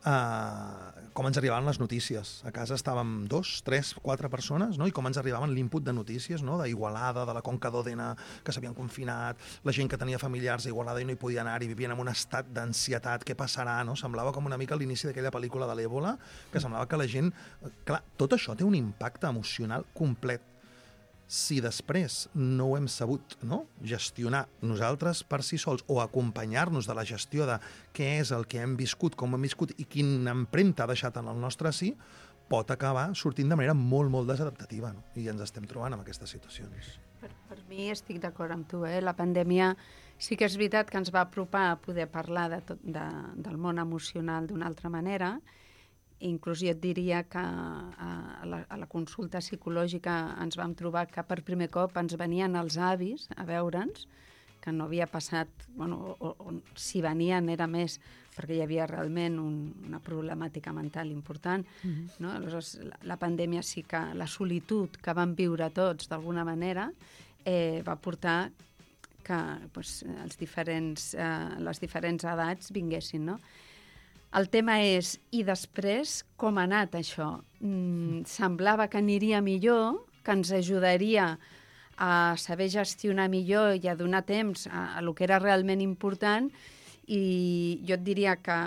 uh, com ens arribaven les notícies. A casa estàvem dos, tres, quatre persones, no? I com ens arribaven l'input de notícies, no? D'Igualada, de la Conca d'Òdena, que s'havien confinat, la gent que tenia familiars a Igualada i no hi podia anar i vivien en un estat d'ansietat, què passarà, no? Semblava com una mica l'inici d'aquella pel·lícula de l'Èbola, que semblava que la gent... Clar, tot això té un impacte emocional complet. Si després no ho hem sabut, no? gestionar nosaltres per si sols o acompanyar-nos de la gestió de què és el que hem viscut, com hem viscut i quina empremta ha deixat en el nostre sí, pot acabar sortint de manera molt, molt desadaptativa, no? I ens estem trobant en aquestes situacions. Per, per mi estic d'acord amb tu, eh? La pandèmia sí que és veritat que ens va apropar a poder parlar de tot, de, del món emocional d'una altra manera. Inclús jo et diria que a la, a la consulta psicològica ens vam trobar que per primer cop ens venien els avis a veure'ns, que no havia passat, bueno, o, o si venien era més perquè hi havia realment un, una problemàtica mental important. Mm-hmm. No? Aleshores, la, la pandèmia sí que, la solitud que vam viure tots d'alguna manera eh, va portar que pues, els diferents, eh, les diferents edats vinguessin, no? El tema és, i després, com ha anat això? Mm, semblava que aniria millor, que ens ajudaria a saber gestionar millor i a donar temps a, a lo que era realment important, i jo et diria que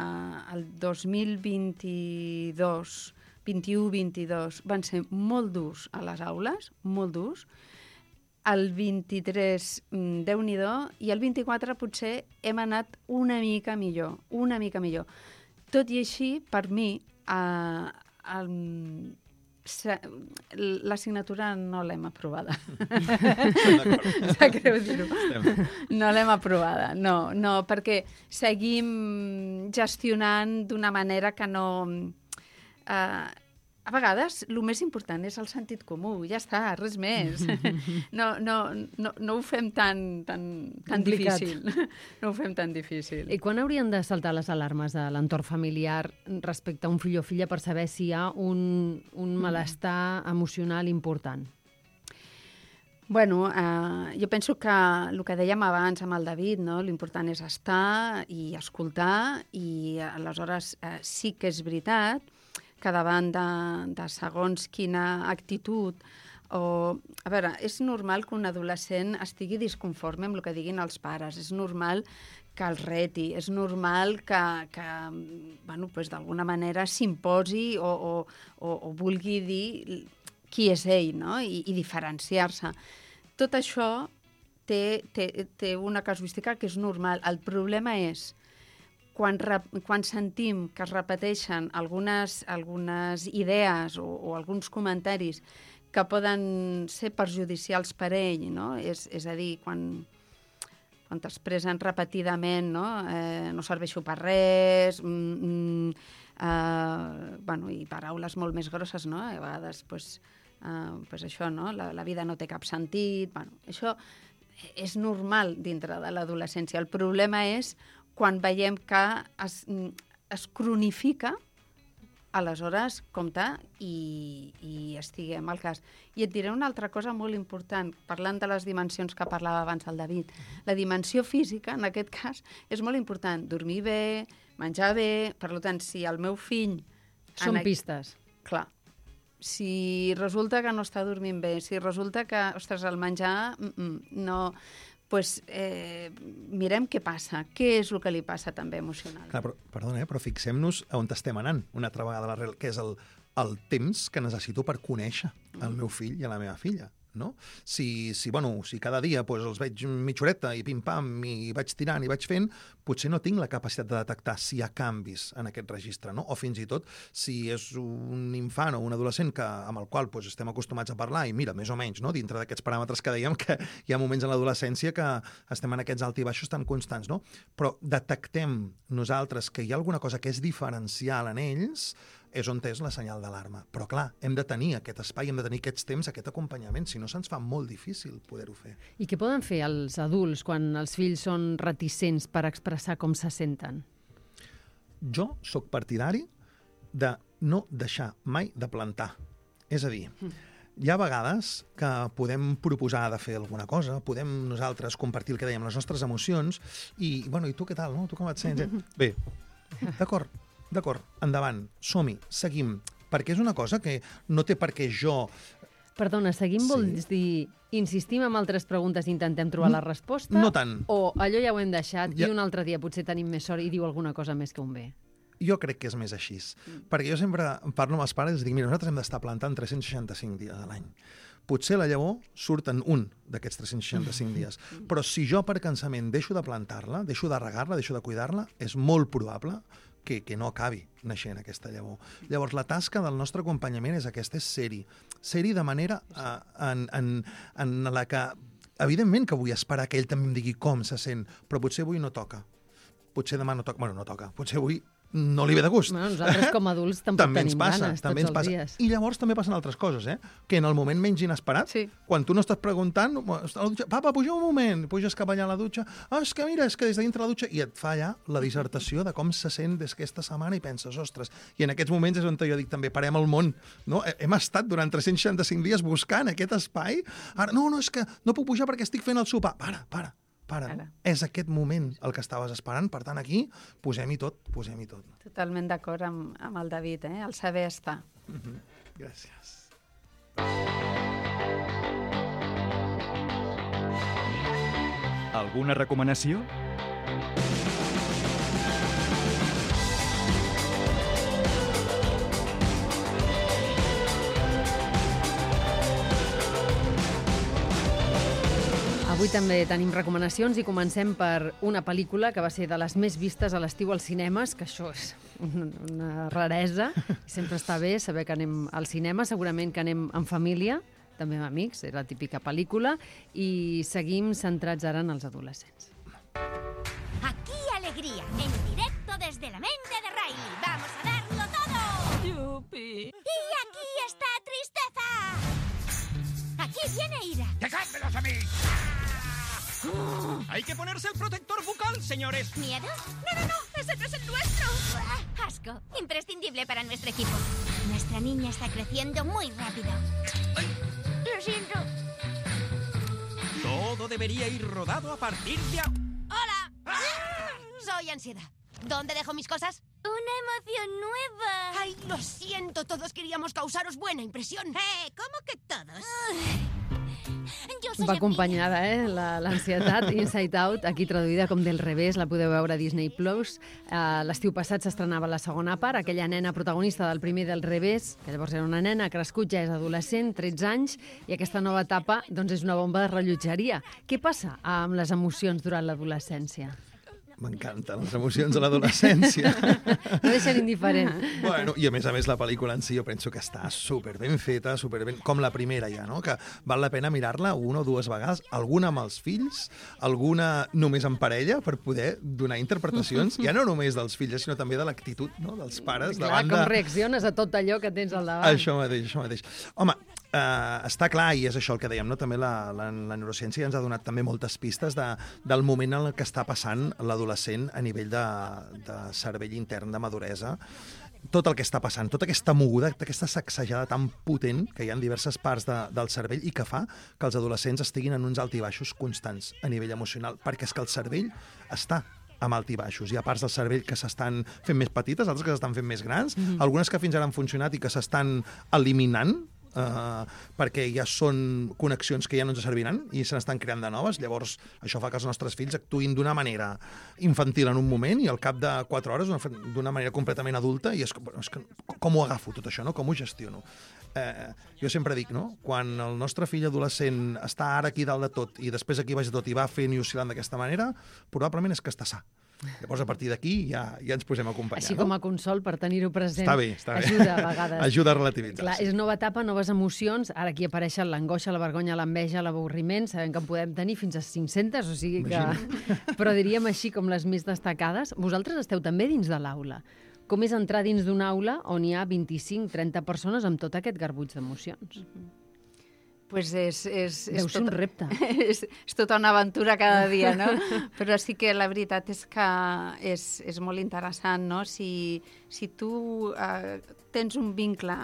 el dos mil vint-i-dos, vint-i-u vint-i-dos van ser molt durs a les aules, molt durs. El vint-i-tres, Déu-n'hi-do, i el vint-i-quatre potser hem anat una mica millor, una mica millor. Tot i així, per mi, eh, el, l'assignatura no l'hem aprovada. Sap greu dir-ho. No l'hem aprovada, no, no, perquè seguim gestionant d'una manera que no... Eh, a vegades, el més important és el sentit comú, ja està, res més. No, no, no, no ho fem tan, tan, tan difícil. No ho fem tan difícil. I quan haurien de saltar les alarmes de l'entorn familiar respecte a un fill o filla per saber si hi ha un, un malestar emocional important? Bueno, eh, jo penso que el que dèiem abans amb el David, no? L'important és estar i escoltar, i aleshores eh, sí que és veritat que davant de, de segons quina actitud o... A veure, és normal que un adolescent estigui disconforme amb el que diguin els pares, és normal que el reti, és normal que, que bueno, pues, d'alguna manera s'imposi o, o, o, o vulgui dir qui és ell, no? I, i diferenciar-se. Tot això té, té, té una casuística que és normal. El problema és Quan, quan sentim que es repeteixen algunes, algunes idees o, o alguns comentaris que poden ser perjudicials per ell, no? És, és a dir, quan, quan t'expressen repetidament, no? Eh, no serveixo per res, mm, mm, eh, bueno, i paraules molt més grosses, no? A vegades, pues, uh, pues això, no? La, la vida no té cap sentit. Bueno, això és normal dintre de l'adolescència. El problema és quan veiem que es, es cronifica, aleshores, compte, i, i estiguem al cas. I et diré una altra cosa molt important, parlant de les dimensions que parlava abans el David. La dimensió física, en aquest cas, és molt important. Dormir bé, menjar bé. Per tant, si el meu fill... Són pistes. Clar. Si resulta que no està dormint bé, si resulta que, ostres, el menjar no... Pues, eh, mirem què passa, què és el que li passa també emocional. Clar, però, perdona, eh, però fixem-nos on estem anant una altra vegada a l'arrel, que és el, el temps que necessito per conèixer el meu fill i la meva filla. No? Si, si, bueno, si cada dia pues, els veig mitja horeta i pim-pam i vaig tirant i vaig fent, potser no tinc la capacitat de detectar si hi ha canvis en aquest registre, no? O fins i tot si és un infant o un adolescent que, amb el qual pues, estem acostumats a parlar i mira, més o menys, no? Dintre d'aquests paràmetres que dèiem que hi ha moments en l'adolescència que estem en aquests alt i baixos tan constants, no? Però detectem nosaltres que hi ha alguna cosa que és diferencial en ells, és on és la senyal d'alarma. Però, clar, hem de tenir aquest espai, hem de tenir aquests temps, aquest acompanyament, si no se'ns fa molt difícil poder-ho fer. I què poden fer els adults quan els fills són reticents per expressar com se senten? Jo sóc partidari de no deixar mai de plantar. És a dir, hi ha vegades que podem proposar de fer alguna cosa, podem nosaltres compartir el que dèiem, les nostres emocions, i, bueno, i tu què tal, no? Tu com et sents? Bé, d'acord, D'acord, endavant, som-hi, seguim, perquè és una cosa que no té per què jo... Perdona, seguim sí. Vols dir, insistim en altres preguntes i intentem trobar la resposta? No tant. O allò ja ho hem deixat ja... i un altre dia potser tenim més sort i diu alguna cosa més que un bé? Jo crec que és més així, mm. perquè jo sempre parlo amb els pares i dic, mira, nosaltres hem d'estar plantant tres-cents seixanta-cinc dies a l'any. Potser la llavor surt en un d'aquests tres-cents seixanta-cinc dies, però si jo per cansament deixo de plantar-la, deixo de regar-la, deixo de cuidar-la, és molt probable que, que no acabi naixent aquesta llavor. Llavors, la tasca del nostre acompanyament és aquesta, és ser-hi. Ser-hi de manera uh, en, en, en la que, evidentment que vull esperar que ell també em digui com se sent, però potser avui no toca. Potser demà no toca. Bueno, no toca. Potser avui no li ve de gust. Bueno, nosaltres com a adults tampoc també tenim passa, ganes també tots ens els passa. dies. I llavors també passen altres coses, eh? Que en el moment menys inesperat, sí. Quan tu no estàs preguntant, papa, puja un moment, puges cap allà a la dutxa, ah, és que mira, és que des de dintre la dutxa, i et fa allà la dissertació de com se sent des d'aquesta setmana i penses, ostres, i en aquests moments és on jo dic també, parem el món, no? Hem estat durant tres-cents seixanta-cinc dies buscant aquest espai, ara, no, no, és que no puc pujar perquè estic fent el sopar, para, para, para, no? És aquest moment el que estaves esperant, per tant aquí posem-hi tot, posem-hi tot. Totalment d'acord amb, amb el David, eh? El saber estar. Mm-hmm. Gràcies. Alguna recomanació? Avui també tenim recomanacions i comencem per una pel·lícula que va ser de les més vistes a l'estiu als cinemes, que això és una raresa, i sempre està bé saber que anem al cinema, segurament que anem en família, també amb amics, és la típica pel·lícula, i seguim centrats ara en els adolescents. Aquí alegría, en directo desde la mente de Riley. ¡Vamos a darlo todo! ¡Yupi! ¡Y aquí está tristeza! ¡Aquí viene ira! ¡Dejádmelos a mí! ¡Hay que ponerse el protector bucal, señores! ¿Miedo? ¡No, no, no! ¡Ese no es el nuestro! ¡Asco! Imprescindible para nuestro equipo. Nuestra niña está creciendo muy rápido. Ay. Lo siento. Todo debería ir rodado a partir de... A... ¡Hola! ¡Ah! Soy ansiedad. ¿Dónde dejo mis cosas? Una emoción nueva. Ay, lo siento. Todos queríamos causaros buena impresión. Eh, ¿cómo que todos? Jo soy Va acompanyada, eh, l'ansietat, Inside Out, aquí traduïda com Del revés, la podeu veure a Disney Plus. Uh, L'estiu passat s'estrenava la segona part, aquella nena protagonista del primer Del revés, que llavors era una nena, crescut, ja és adolescent, tretze anys, i aquesta nova etapa doncs, és una bomba de rellotgeria. Què passa amb les emocions durant l'adolescència? M'encanten les emocions de l'adolescència. No deixen indiferent. Bueno, i a més a més la pel·lícula en si jo penso que està super ben feta, super ben... com la primera ja, no? Que val la pena mirar-la una o dues vegades, alguna amb els fills, alguna només en parella, per poder donar interpretacions, ja no només dels fills, sinó també de l'actitud, no? Dels pares. Clar, davant com de... reacciones a tot allò que tens al davant. Això mateix, això mateix. Home, Uh, està clar, i és això el que dèiem, no? També la, la, la neurociència ens ha donat també moltes pistes de, del moment en el que està passant l'adolescent a nivell de, de cervell intern, de maduresa. Tot el que està passant, tota aquesta moguda, aquesta sacsejada tan potent que hi ha en diverses parts de, del cervell i que fa que els adolescents estiguin en uns alt i baixos constants a nivell emocional, perquè és que el cervell està amb alt i baixos. Hi ha parts del cervell que s'estan fent més petites, altres que s'estan fent més grans, mm-hmm. algunes que fins ara han funcionat i que s'estan eliminant, Uh, perquè ja són connexions que ja no ens serviran i se n'estan creant de noves. Llavors, això fa que els nostres fills actuïn d'una manera infantil en un moment i al cap de quatre hores d'una manera completament adulta i és, bueno, és que, com ho agafo tot això, no? Com ho gestiono? Eh, jo sempre dic, no? Quan el nostre fill adolescent està ara aquí dalt de tot i després aquí baix de tot i va fent i oscil·lant d'aquesta manera, probablement és que està sa. Llavors, a partir d'aquí ja, ja ens posem a acompanyar. Així no? com a consol, per tenir-ho present. Està bé, està bé. Ajuda a vegades. Ajuda a relativitzar. Clar, és nova etapa, noves emocions. Ara aquí apareixen l'angoixa, la vergonya, l'enveja, l'avorriment. Sabem que en podem tenir fins a cinc-centes, o sigui que... Però diríem així com les més destacades. Vosaltres esteu també dins de l'aula. Com és entrar dins d'una aula on hi ha vint-i-cinc trenta persones amb tot aquest garbuix d'emocions? Pues és, és, Deu és ser tot, un repte. És, és tota una aventura cada dia, no? Però sí que la veritat és que és, és molt interessant, no? Si, si tu eh, tens un vincle,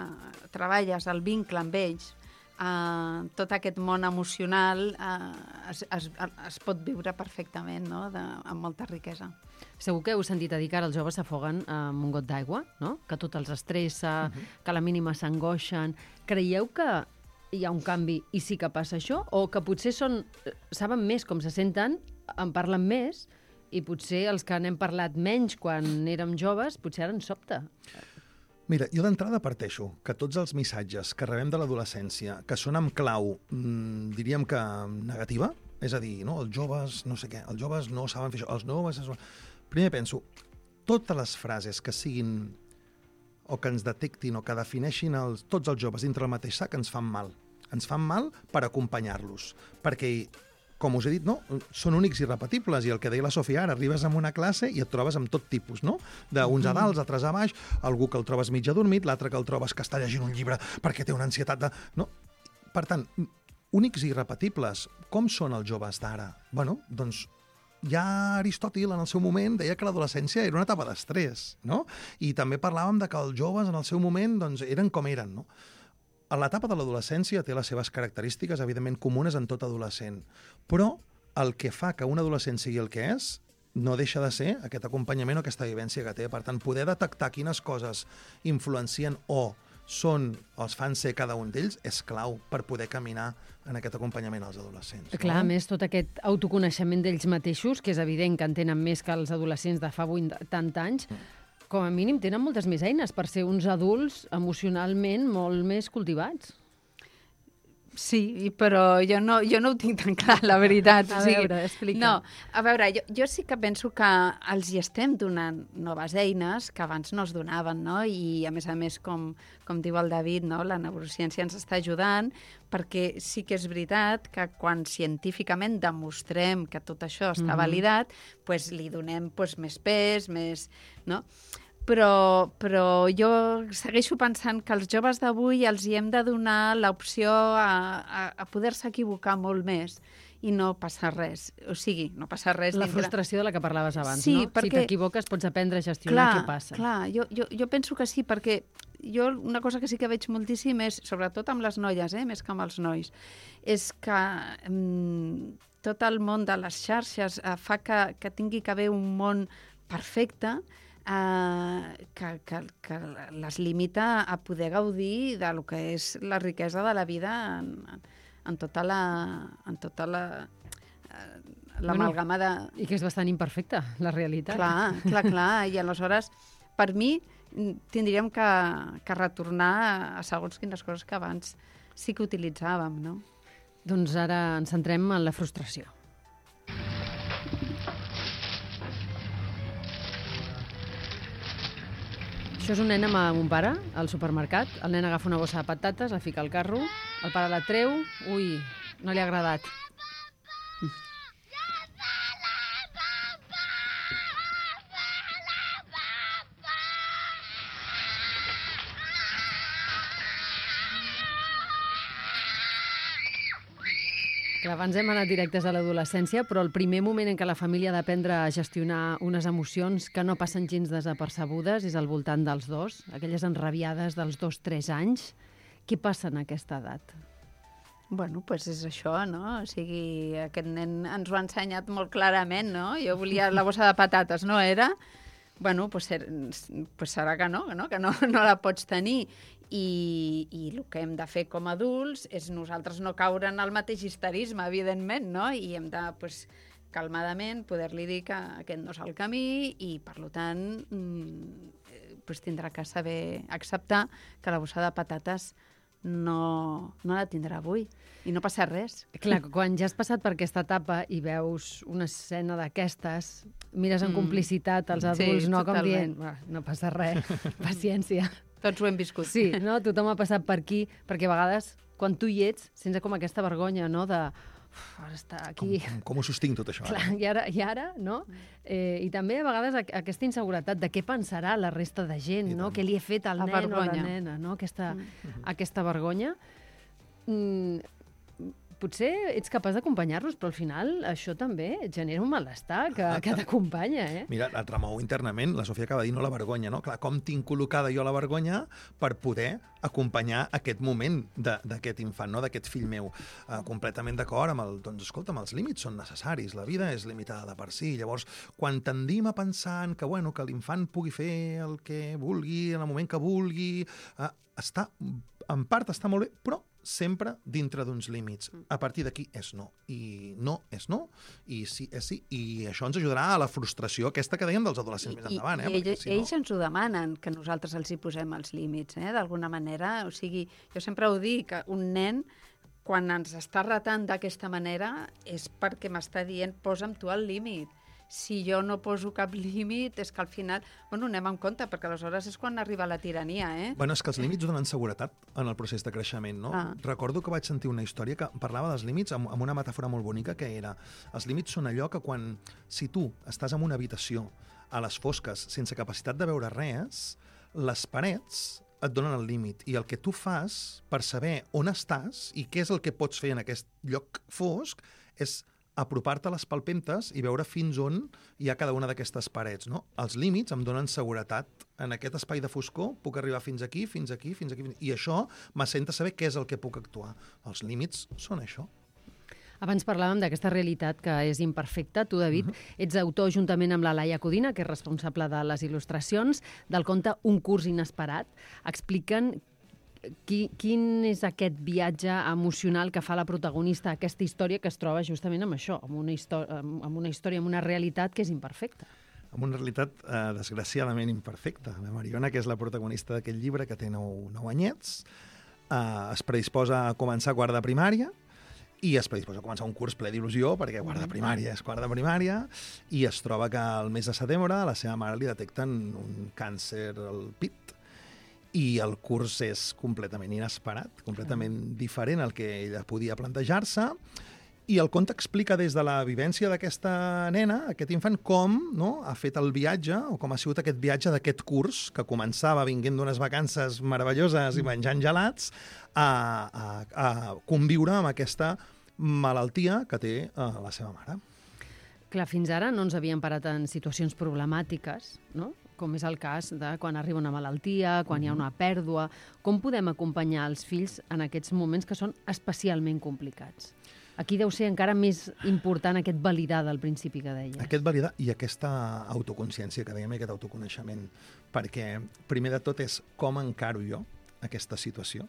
treballes el vincle amb ells, eh, tot aquest món emocional eh, es, es, es pot viure perfectament, no? De, amb molta riquesa. Segur que heu sentit a dir que ara els joves s'afoguen amb un got d'aigua, no? Que tot els estressa, uh-huh. que a la mínima s'angoixen. Creieu que hi ha un canvi i sí que passa això? O que potser són, saben més com se senten, en parlen més, i potser els que n'hem parlat menys quan érem joves, potser ara ens sobta? Mira, jo d'entrada parteixo que tots els missatges que rebem de l'adolescència, que són amb clau, mmm, diríem que negativa, és a dir, no, els joves, no sé què, els joves no saben fer això, els joves... Primer penso, totes les frases que siguin o que ens detectin o que defineixin els, tots els joves dintre el mateix sac ens fan mal. Ens fan mal per acompanyar-los, perquè, com us he dit, no, són únics i repetibles, i el que deia la Sofia ara, arribes a una classe i et trobes amb tot tipus, no? D'uns a dalt, altres a baix, algú que el trobes mig adormit, l'altre que el trobes que està llegint un llibre perquè té una ansietat de... No? Per tant, únics i repetibles, com són els joves d'ara? Bueno, doncs ja Aristòtil, en el seu moment, deia que l'adolescència era una etapa d'estrès, no? I també parlàvem de que els joves, en el seu moment, doncs, eren com eren, no? L'etapa de l'adolescència té les seves característiques, evidentment, comunes en tot adolescent. Però el que fa que un adolescent sigui el que és no deixa de ser aquest acompanyament o aquesta vivència que té. Per tant, poder detectar quines coses influencien o són, o els fan ser cada un d'ells, és clau per poder caminar en aquest acompanyament als adolescents. No? Clar, a més, tot aquest autoconeixement d'ells mateixos, que és evident que en tenen més que els adolescents de fa vuitanta anys, com a mínim tenen moltes més eines per ser uns adults emocionalment molt més cultivats. Sí, però jo no, jo no ho tinc tan clar, la veritat. A o sigui, veure, explica. No, a veure, jo, jo sí que penso que els hi estem donant noves eines que abans no es donaven, no? I, a més a més, com, com diu el David, no? La neurociència ens està ajudant, perquè sí que és veritat que quan científicament demostrem que tot això està mm-hmm. validat, pues, li donem pues, més pes, més... No? Però, però jo segueixo pensant que als joves d'avui els hi hem de donar l'opció a, a, a poder-se equivocar molt més i no passar res. O sigui, no passar res... La dintre... frustració de la que parlaves abans, sí, no? Perquè... Si t'equivoques pots aprendre a gestionar clar, què passa. Clar, jo, jo, jo penso que sí, perquè jo una cosa que sí que veig moltíssim és, sobretot amb les noies, eh, més que amb els nois, és que mm, tot el món de les xarxes eh, fa que, que tingui que haver un món perfecte, Uh, que, que, que les limita a poder gaudir de lo que és la riquesa de la vida en, en tota la en tota la uh, l'amalgama de... I que és bastant imperfecta, la realitat. Clar, clar, clar. I aleshores, per mi, tindríem que, que retornar a segons quines coses que abans sí que utilitzàvem, no? Doncs ara ens centrem en la frustració. Això és un nen amb un pare al supermercat. El nen agafa una bossa de patates, la fica al carro, el pare la treu... Ui, no li ha agradat. Clar, abans hem anat directes a l'adolescència, però el primer moment en què la família ha d'aprendre a gestionar unes emocions que no passen gens desapercebudes és al voltant dels dos, aquelles enrabiades dels dos, tres anys. Què passa en aquesta edat? Bueno, doncs pues és això, no? O sigui, aquest nen ens ho ha ensenyat molt clarament, no? Jo volia la bossa de patates, no era? Bueno, doncs pues, pues serà que no, no? que no, no la pots tenir. I, I el que hem de fer com a adults és nosaltres no caure en el mateix histerisme, evidentment, no? I hem de, pues, calmadament, poder-li dir que aquest no és el camí i, per tant, mmm, pues, tindrà que saber acceptar que la bossa de patates no, no la tindrà avui i no passa res. Clar, quan ja has passat per aquesta etapa i veus una escena d'aquestes, mires en mm. complicitat als adults, sí, no com totalment. dient, no passa res, paciència. Tots ho hem viscut. Sí, no? Tothom ha passat per aquí, perquè a vegades, quan tu hi ets, sents com aquesta vergonya, no?, de... Uf, ara està aquí... Com, com, com ho sostinc tot això? Clar, Ara? i ara, i ara no? Eh, I també a vegades aquesta inseguretat de què pensarà la resta de gent, no? Què li he fet al la nen vergonya. o la nena, no? Aquesta, mm. aquesta vergonya. Mm, potser ets capaç d'acompanyar-los, però al final això també et genera un malestar que, que t'acompanya, eh? Mira, et remou internament, la Sofia acaba de dir, no la vergonya, no? Clar, com tinc col·locada jo la vergonya per poder acompanyar aquest moment d'aquest infant, no? D'aquest fill meu. Uh, completament d'acord amb el... Doncs, escolta'm, els límits són necessaris, la vida és limitada de per si. Llavors, quan tendim a pensar en que, bueno, que l'infant pugui fer el que vulgui, en el moment que vulgui, uh, està, en part està molt bé, però sempre dintre d'uns límits. A partir d'aquí és no. I no és no, i sí és sí. I això ens ajudarà a la frustració aquesta que dèiem dels adolescents I, més endavant. I, Eh? i ells, si no... ells ens ho demanen, que nosaltres els hi posem els límits, eh? D'alguna manera. O sigui, jo sempre ho dic, que un nen, quan ens està retant d'aquesta manera, és perquè m'està dient, posa'm tu el límit. Si jo no poso cap límit, és que al final... Bueno, anem en compte, perquè aleshores és quan arriba la tirania, eh? Bueno, és que els límits donen seguretat en el procés de creixement, no? Ah. Recordo que vaig sentir una història que parlava dels límits amb, amb una metàfora molt bonica, que era els límits són allò que quan... Si tu estàs en una habitació a les fosques sense capacitat de veure res, les parets et donen el límit. I el que tu fas per saber on estàs i què és el que pots fer en aquest lloc fosc és apropar-te a les palpentes i veure fins on hi ha cada una d'aquestes parets, no? Els límits em donen seguretat. En aquest espai de foscor puc arribar fins aquí, fins aquí, fins aquí, i això m'assenta saber què és el que puc actuar. Els límits són això. Abans parlàvem d'aquesta realitat que és imperfecta. Tu, David, uh-huh. ets autor, juntament amb la Laia Codina, que és responsable de les il·lustracions, del conte Un curs inesperat. Expliquen Qui, quin és aquest viatge emocional que fa la protagonista a aquesta història que es troba justament amb això, amb una, història, amb una història, amb una realitat que és imperfecta. Amb una realitat eh, desgraciadament imperfecta. La Mariona, que és la protagonista d'aquest llibre, que té nou, nou anyets, eh, es predisposa a començar quart de primària i es predisposa a començar un curs ple d'il·lusió, perquè quart de primària és quart de primària, i es troba que al mes de setembre a la seva mare li detecten un càncer al pit, i el curs és completament inesperat, completament diferent al que ella podia plantejar-se, i el conte explica des de la vivència d'aquesta nena, aquest infant, com no, ha fet el viatge, o com ha sigut aquest viatge d'aquest curs, que començava vinguent d'unes vacances meravelloses i menjant gelats, a, a, a conviure amb aquesta malaltia que té eh, la seva mare. Clar, fins ara no ens havíem parat en situacions problemàtiques, no?, com és el cas de quan arriba una malaltia, quan hi ha una pèrdua. Com podem acompanyar els fills en aquests moments que són especialment complicats? Aquí deu ser encara més important aquest validar del principi que deies. Aquest validar i aquesta autoconsciència que dèiem, i aquest autoconeixement, perquè primer de tot és com encaro jo aquesta situació,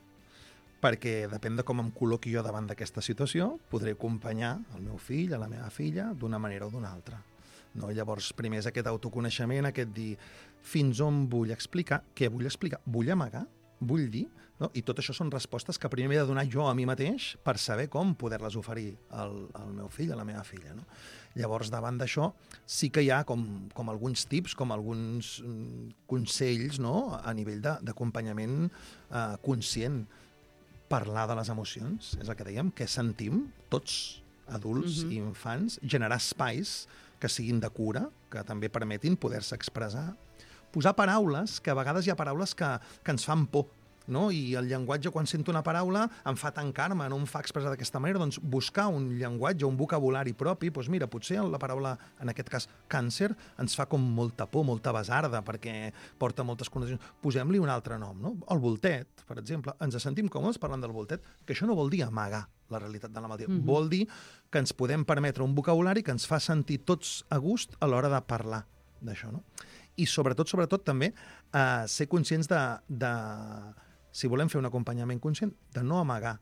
perquè depèn de com em col·loqui jo davant d'aquesta situació, podré acompanyar el meu fill, a la meva filla, d'una manera o d'una altra. No? Llavors, primer és aquest autoconeixement, aquest dir fins on vull explicar, què vull explicar, vull amagar, vull dir, no? I tot això són respostes que primer m'he de donar jo a mi mateix per saber com poder-les oferir al, al meu fill, a la meva filla. No? Llavors, davant d'això, sí que hi ha com, com alguns tips, com alguns mm, consells, no? A nivell d'acompanyament eh, conscient. Parlar de les emocions, és el que dèiem, què sentim tots, adults uh-huh. i infants, generar espais que siguin de cura, que també permetin poder-se expressar, posar paraules, que a vegades hi ha paraules que, que ens fan por, no? I el llenguatge, quan sento una paraula, em fa tancar-me, no em fa expressar d'aquesta manera. Doncs buscar un llenguatge, un vocabulari propi, doncs mira, potser la paraula, en aquest cas càncer, ens fa com molta por, molta basarda, perquè porta moltes connotacions. Posem-li un altre nom, no? El voltet, per exemple. Ens sentim còmodes parlant del voltet, que això no vol dir amagar la realitat de la malaltia. Mm-hmm. Vol dir que ens podem permetre un vocabulari que ens fa sentir tots a gust a l'hora de parlar d'això, no? I sobretot, sobretot, també, eh, ser conscients de, de, si volem fer un acompanyament conscient, de no amagar.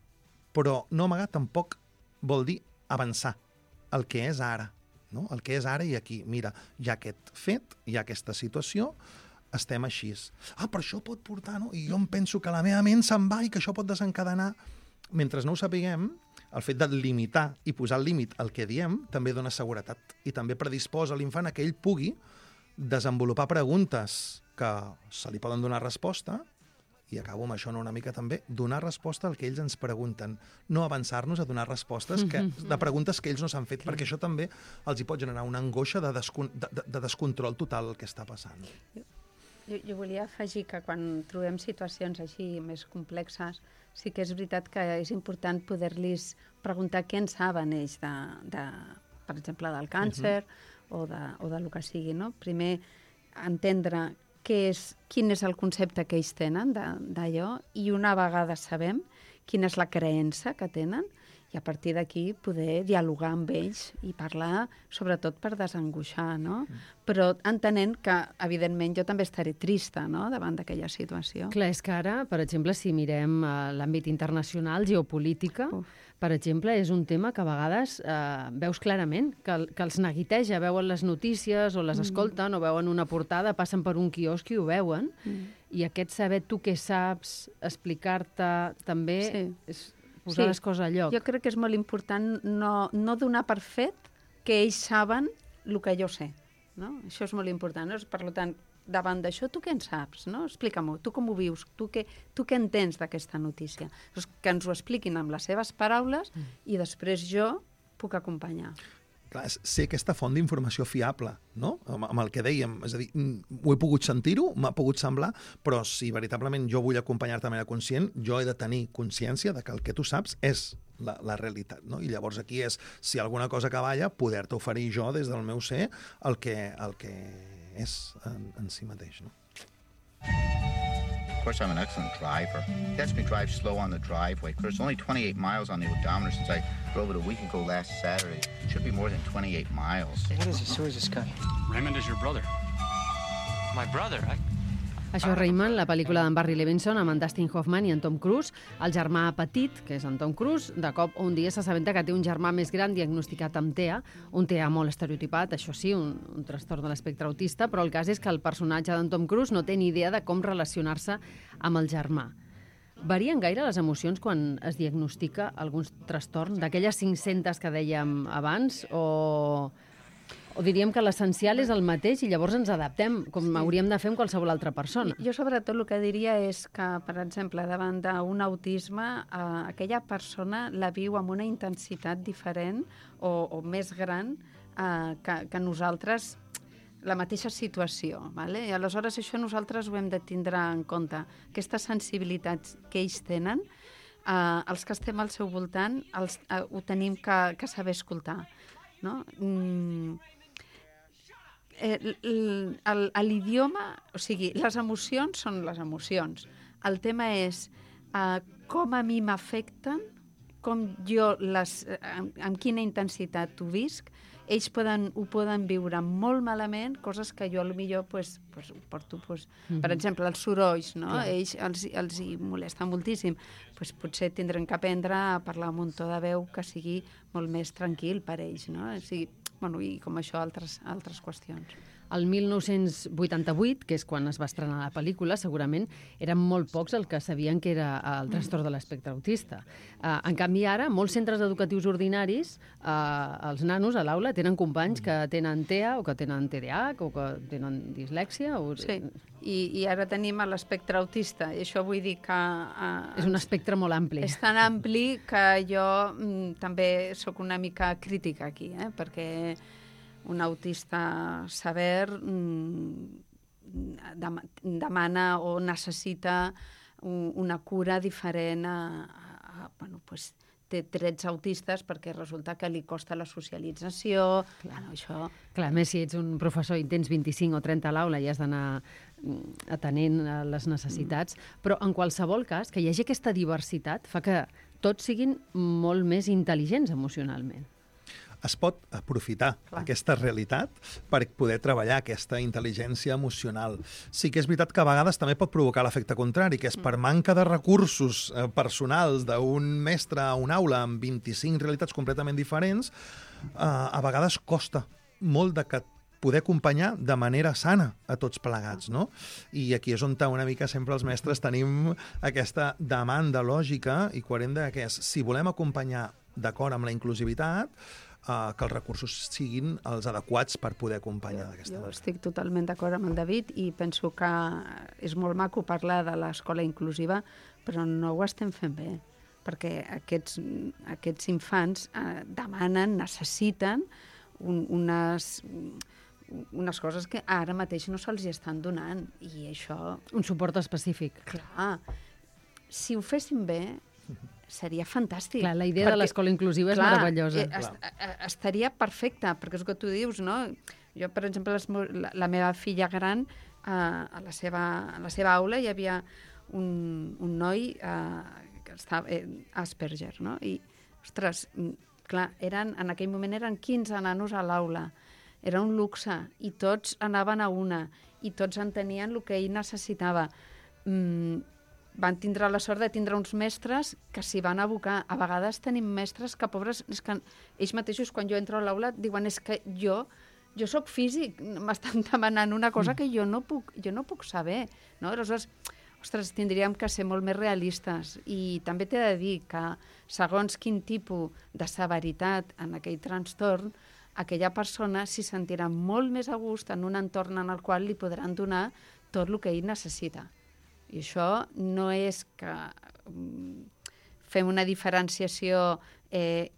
Però no amagar tampoc vol dir avançar el que és ara, no? El que és ara i aquí. Mira, hi ha aquest fet, hi ha aquesta situació, estem així. Ah, però això pot portar, no? I jo em penso que la meva ment se'n va i que això pot desencadenar. Mentre no ho sapiguem, el fet de limitar i posar el límit al que diem també dona seguretat i també predisposa l'infant a que ell pugui desenvolupar preguntes que se li poden donar resposta, i acabo amb això no, una mica també, donar resposta al que ells ens pregunten, no avançar-nos a donar respostes que, de preguntes que ells no s'han fet, perquè això també els hi pot generar una angoixa de, descon de, de, de descontrol total el que està passant. Jo, jo volia afegir que quan trobem situacions així més complexes, sí que és veritat que és important poder-los preguntar què en saben ells, de, de, per exemple, del càncer uh-huh. o, de, o del que sigui, no? Primer, entendre què és, quin és el concepte que ells tenen d'allò i una vegada sabem quina és la creença que tenen i a partir d'aquí poder dialogar amb ells i parlar, sobretot per desangoixar, no? Mm. Però entenent que, evidentment, jo també estaré trista, no?, davant d'aquella situació. Clar, és que ara, per exemple, si mirem uh, l'àmbit internacional, geopolítica, Uf. per exemple, és un tema que a vegades uh, veus clarament, que, que els neguiteja, veuen les notícies o les mm. escolten o veuen una portada, passen per un quiosc i ho veuen, mm. i aquest saber tu què saps, explicar-te també sí. és posar sí. les coses a lloc. Jo crec que és molt important no, no donar per fet que ells saben el que jo sé. No? Això és molt important. No? Per tant, davant d'això, tu què en saps? No? Explica-m'ho, tu com ho vius? Tu què, tu què entens d'aquesta notícia? Doncs que ens ho expliquin amb les seves paraules mm. i després jo puc acompanyar. Clar, ser aquesta font d'informació fiable, no? Amb, amb el que dèiem, és a dir, ho he pogut sentir-ho, m'ha pogut semblar, però si veritablement jo vull acompanyar-te de manera conscient, jo he de tenir consciència de que el que tu saps és la, la realitat, no? I llavors aquí és, si alguna cosa cavalla, poder-te oferir jo des del meu ser el que, el que és en, en si mateix, no? Of course, I'm an excellent driver. He lets me drive slow on the driveway. Of course, only twenty-eight miles on the odometer since I drove it a week ago last Saturday. It should be more than twenty-eight miles. What is this? Who is this guy? Raymond is your brother. My brother? I... Això és Raymond, la pel·lícula d'en Barry Levinson amb en Dustin Hoffman i en Tom Cruise. El germà petit, que és en Tom Cruise, de cop un dia s'assabenta que té un germà més gran diagnosticat amb T E A, un T E A molt estereotipat, això sí, un, un trastorn de l'espectre autista, però el cas és que el personatge d'en Tom Cruise no té ni idea de com relacionar-se amb el germà. Varien gaire les emocions quan es diagnostica algun trastorn? D'aquelles cinc-centes que dèiem abans, o... O diríem que l'essencial és el mateix i llavors ens adaptem, com sí. hauríem de fer amb qualsevol altra persona. Jo, sobretot, el que diria és que, per exemple, davant d'un autisme, eh, aquella persona la viu amb una intensitat diferent o, o més gran eh, que, que nosaltres, la mateixa situació. Vale? I aleshores això nosaltres ho hem de tindre en compte. Aquestes sensibilitats que ells tenen, eh, els que estem al seu voltant, els, eh, ho tenim que, que saber escoltar. No? Mm, l'idioma, o sigui, les emocions són les emocions. El tema és uh, com a mi m'afecten, com jo les, amb, amb quina intensitat ho visc. Ells poden, ho poden viure molt malament, coses que jo potser pues, pues, ho porto, pues, mm-hmm. per exemple, els sorolls, no? Clar. Ells els, els hi molesta moltíssim. Pues, potser tindrem que aprendre a parlar amb un to de veu que sigui molt més tranquil per ells, no? O sigui, bueno, i com això, altres, altres qüestions. El mil nou-cents vuitanta-vuit, que és quan es va estrenar la pel·lícula, segurament eren molt pocs els que sabien que era el trastorn de l'espectre autista. Uh, en canvi, ara, molts centres educatius ordinaris, uh, els nanos a l'aula tenen companys que tenen T E A o que tenen T D A H o que tenen dislèxia. O... Sí, i, i ara tenim l'espectre autista. I això vull dir que... Uh, és un espectre molt ampli. És tan ampli que jo mm, també sóc una mica crítica aquí, eh? Perquè un autista sever mm, demana o necessita una cura diferent a... a, a bueno, pues, té trets autistes perquè resulta que li costa la socialització. Clar, no, això... Clar, a més, si ets un professor i tens vint-i-cinc o trenta a l'aula i has d'anar atenent les necessitats, mm. però en qualsevol cas, que hi hagi aquesta diversitat fa que tots siguin molt més intel·ligents emocionalment. Es pot aprofitar Clar. aquesta realitat per poder treballar aquesta intel·ligència emocional. Sí que és veritat que a vegades també pot provocar l'efecte contrari, que és per manca de recursos eh, personals d'un mestre a una aula amb vint-i-cinc realitats completament diferents, eh, a vegades costa molt de que poder acompanyar de manera sana a tots plegats, no? I aquí és on una mica sempre els mestres tenim aquesta demanda lògica i coherent de que és, si volem acompanyar d'acord amb la inclusivitat, Uh, que els recursos siguin els adequats per poder acompanyar d'aquesta manera. Jo estic totalment d'acord amb el David i penso que és molt maco parlar de l'escola inclusiva, però no ho estem fent bé, perquè aquests, aquests infants uh, demanen, necessiten un, unes, unes coses que ara mateix no se'ls estan donant, i això... Un suport específic. Clar, si ho féssim bé, seria fantàstic. Clar, la idea perquè, de l'escola inclusiva és clar, meravellosa. Eh, est estaria perfecta, perquè és el que tu dius, no? Jo, per exemple, les, la, la meva filla gran, eh, a, la seva, a la seva aula hi havia un, un noi eh, que estava eh, Asperger, no? I, ostres, clar, eren, en aquell moment eren quinze nanos a l'aula. Era un luxe, i tots anaven a una, i tots entenien el que ell necessitava. Mm, van tindre la sort de tindre uns mestres que s'hi van abocar. A vegades tenim mestres que, pobres, és que ells mateixos, quan jo entro a l'aula, diuen, és que jo, jo sóc físic, m'estan demanant una cosa que jo no puc, jo no puc saber. No? Aleshores, ostres, tindríem que ser molt més realistes. I també t'he de dir que, segons quin tipus de severitat en aquell trastorn, aquella persona s'hi sentirà molt més a gust en un entorn en el qual li podran donar tot el que ell necessita. I això no és que um, fem una diferenciació eh,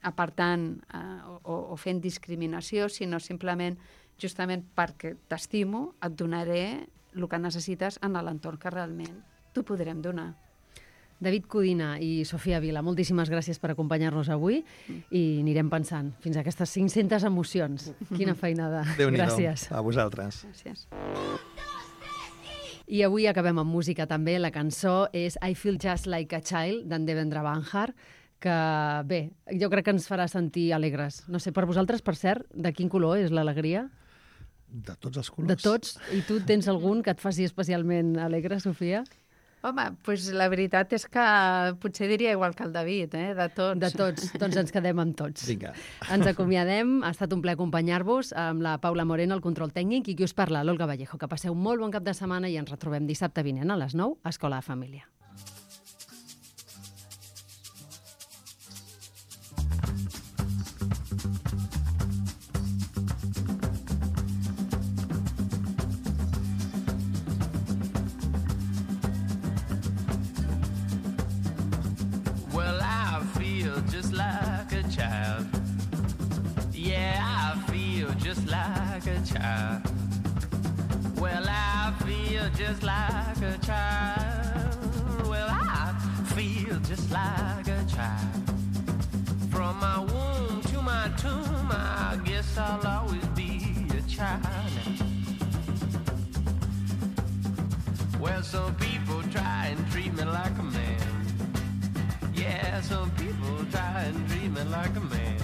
apartant eh, o, o fent discriminació, sinó simplement, justament perquè t'estimo, et donaré el que necessites en l'entorn que realment t'ho podrem donar. David Codina i Sofia Vila, moltíssimes gràcies per acompanyar-nos avui i anirem pensant fins a aquestes cinc-centes emocions. Quina feinada. Déu-n'hi-do. Gràcies. A vosaltres. Gràcies. I avui acabem amb música també. La cançó és I Feel Just Like a Child, d'en Devendra Banhart, que, bé, jo crec que ens farà sentir alegres. No sé, per vosaltres, per cert, de quin color és l'alegria? De tots els colors. De tots? I tu tens algun que et faci especialment alegre, Sofia? Home, doncs la veritat és que potser diria igual que el David, eh? De tots. De tots, doncs ens quedem amb tots. Vinga. Ens acomiadem, ha estat un plaer acompanyar-vos amb la Paula Moreno, el control tècnic, i qui us parla, l'Olga Vallejo. Que passeu molt bon cap de setmana i ens retrobem dissabte vinent a les nou a Escola de Família. Just like a child. Yeah, I feel just like a child. Well, I feel just like a child. Well, I feel just like a child. From my womb to my tomb, I guess I'll always be a child. Well, some people try and treat me like a man. Yeah, some people try and treat me like a man.